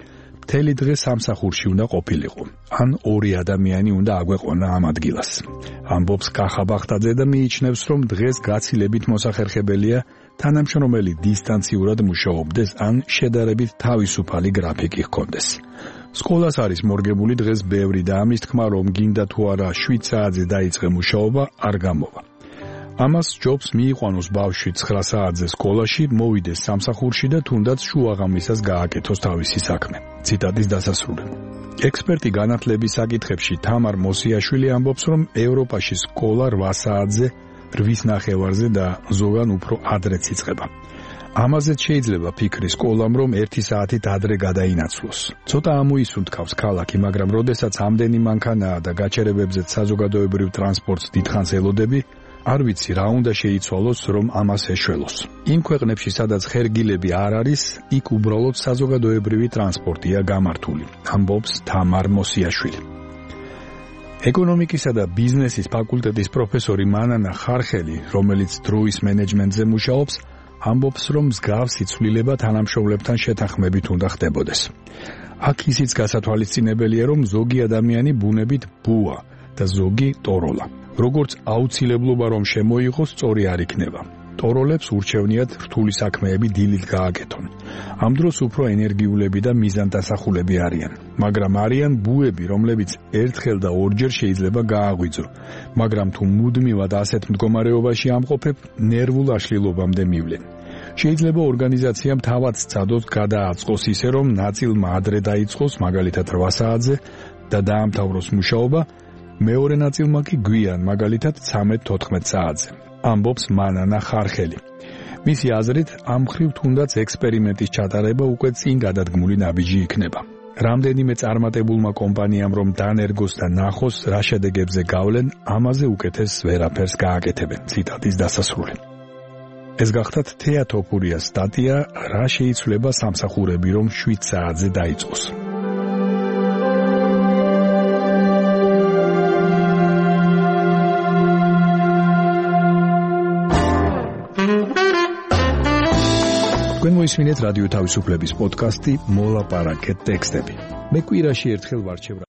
მთელი დღე სამსახურში უნდა ყოფილიყო. ან ორი ადამიანი უნდა აგვეყონა ამ ადგილას. ამბობს კახა ბახტაძე და მიიჩნევს, რომ დღეს გაცილებით მოსახერხებელია თანამშრომელი დისტანციურად მუშაობდეს ან შედარებით თავისუფალი გრაფიკი ჰქონდეს. სკოლას არის მორგებული დღეს ბევრი და ამის თქმა, რომ გინდა თუ არა შვიდ საათზე დაიწყე მუშაობა, არ გამოვა. ამას ჯობს მიიყვანოს ბავშვი ცხრა საათზე სკოლაში, მოვიდეს სამსახურში და თუნდაც შუაღამისას გააკეთოს თავისი საქმე. ციტატის დასასრული. ექსპერტი განათლების საკითხებში თამარ მოსიაშვილი ამბობს, რომ ევროპაში სკოლა რვა საათზე, რვის ნახევარზე და ზოგან უფრო ადრეც იწყება. ამაზეც შეიძლება ფიქრი სკოლამ, რომ ერთი საათით ადრე გადაინაცვლოს. ცოტა ამოისუნთქავს ქალაქი, მაგრამ როდესაც ამდენი მანქანაა და გაჩერებებზეც საზოგადოებრივ ტრანსპორტს დიდხანს ელოდები, არ ვიცი რა უნდა შეიცვალოს, რომ ამას ეშველოს. იმ ქვეყნებში, სადაც ხერგილები არ არის, იქ უბრალოდ საზოგადოებრივი ტრანსპორტია გამართული, ამბობს თამარ მოსიაშვილი. ეკონომიკისა და ბიზნესის ფაკულტეტის პროფესორი მანანა ხარხელი, რომელიც დროის მენეჯმენტზე მუშაობს, ამბობს, რომ მსგავსი ცვლილება თანამშრომლებთან შეთანხმებით უნდა ხდებოდეს. აქ ისიც გასათვალისწინებელია, რომ ზოგი ადამიანი ბუნებით ბუა და ზოგი ტოროლა. როგორც აუცილებლობა რომ შემოიღოს, სწორი არ იქნება. ტოროლებს ურჩევნიათ რთული საქმეები დილით გააკეთონ. ამ დროს უფრო ენერგიულები და მიზანდასახულები არიან. მაგრამ არიან ბუები, რომლებიც ერთხელ და ორჯერ შეიძლება გააღვიძო. მაგრამ თუ მუდმივად ასეთ მდგომარეობაში ამყოფებ, ნერვულ აშლილობამდე მივლენ. შეიძლება ორგანიზაციამ თავად სცადოს გადააწყოს ისე, რომ ნაწილმა ადრე დაიწყოს, მაგალითად რვა საათზე და დაამთავროს მუშაობა, მეორე ნაწილმა კი გვიან, მაგალითად ცხრამეტ-თოთხმეტ საათზე. ამბობს მანანა ხარხელი. მისი აზრით, ამ მხრივ თუნდაც ექსპერიმენტის ჩატარება უკვე წინ გადადგმული ნაბიჯი იქნება. რამდენიმე წარმატებულმა კომპანიამ რომ დანერგოს და ნახოს, რა შედეგებზე გავლენ, ამაზე უკეთეს ვერაფერს გააკეთებენ. ციტატის დასასრული. ეს გახდათ თეატოფურიას სტატია, რა შეიცვლება სამსახურები რომ შვიდ საათზე დაიწყოს. თქვენ მოისმინეთ რადიო თავისუფლების პოდკასტი მოლაპარაკეთ ტექსტები. მე კვირაში ერთხელ ვარჩევ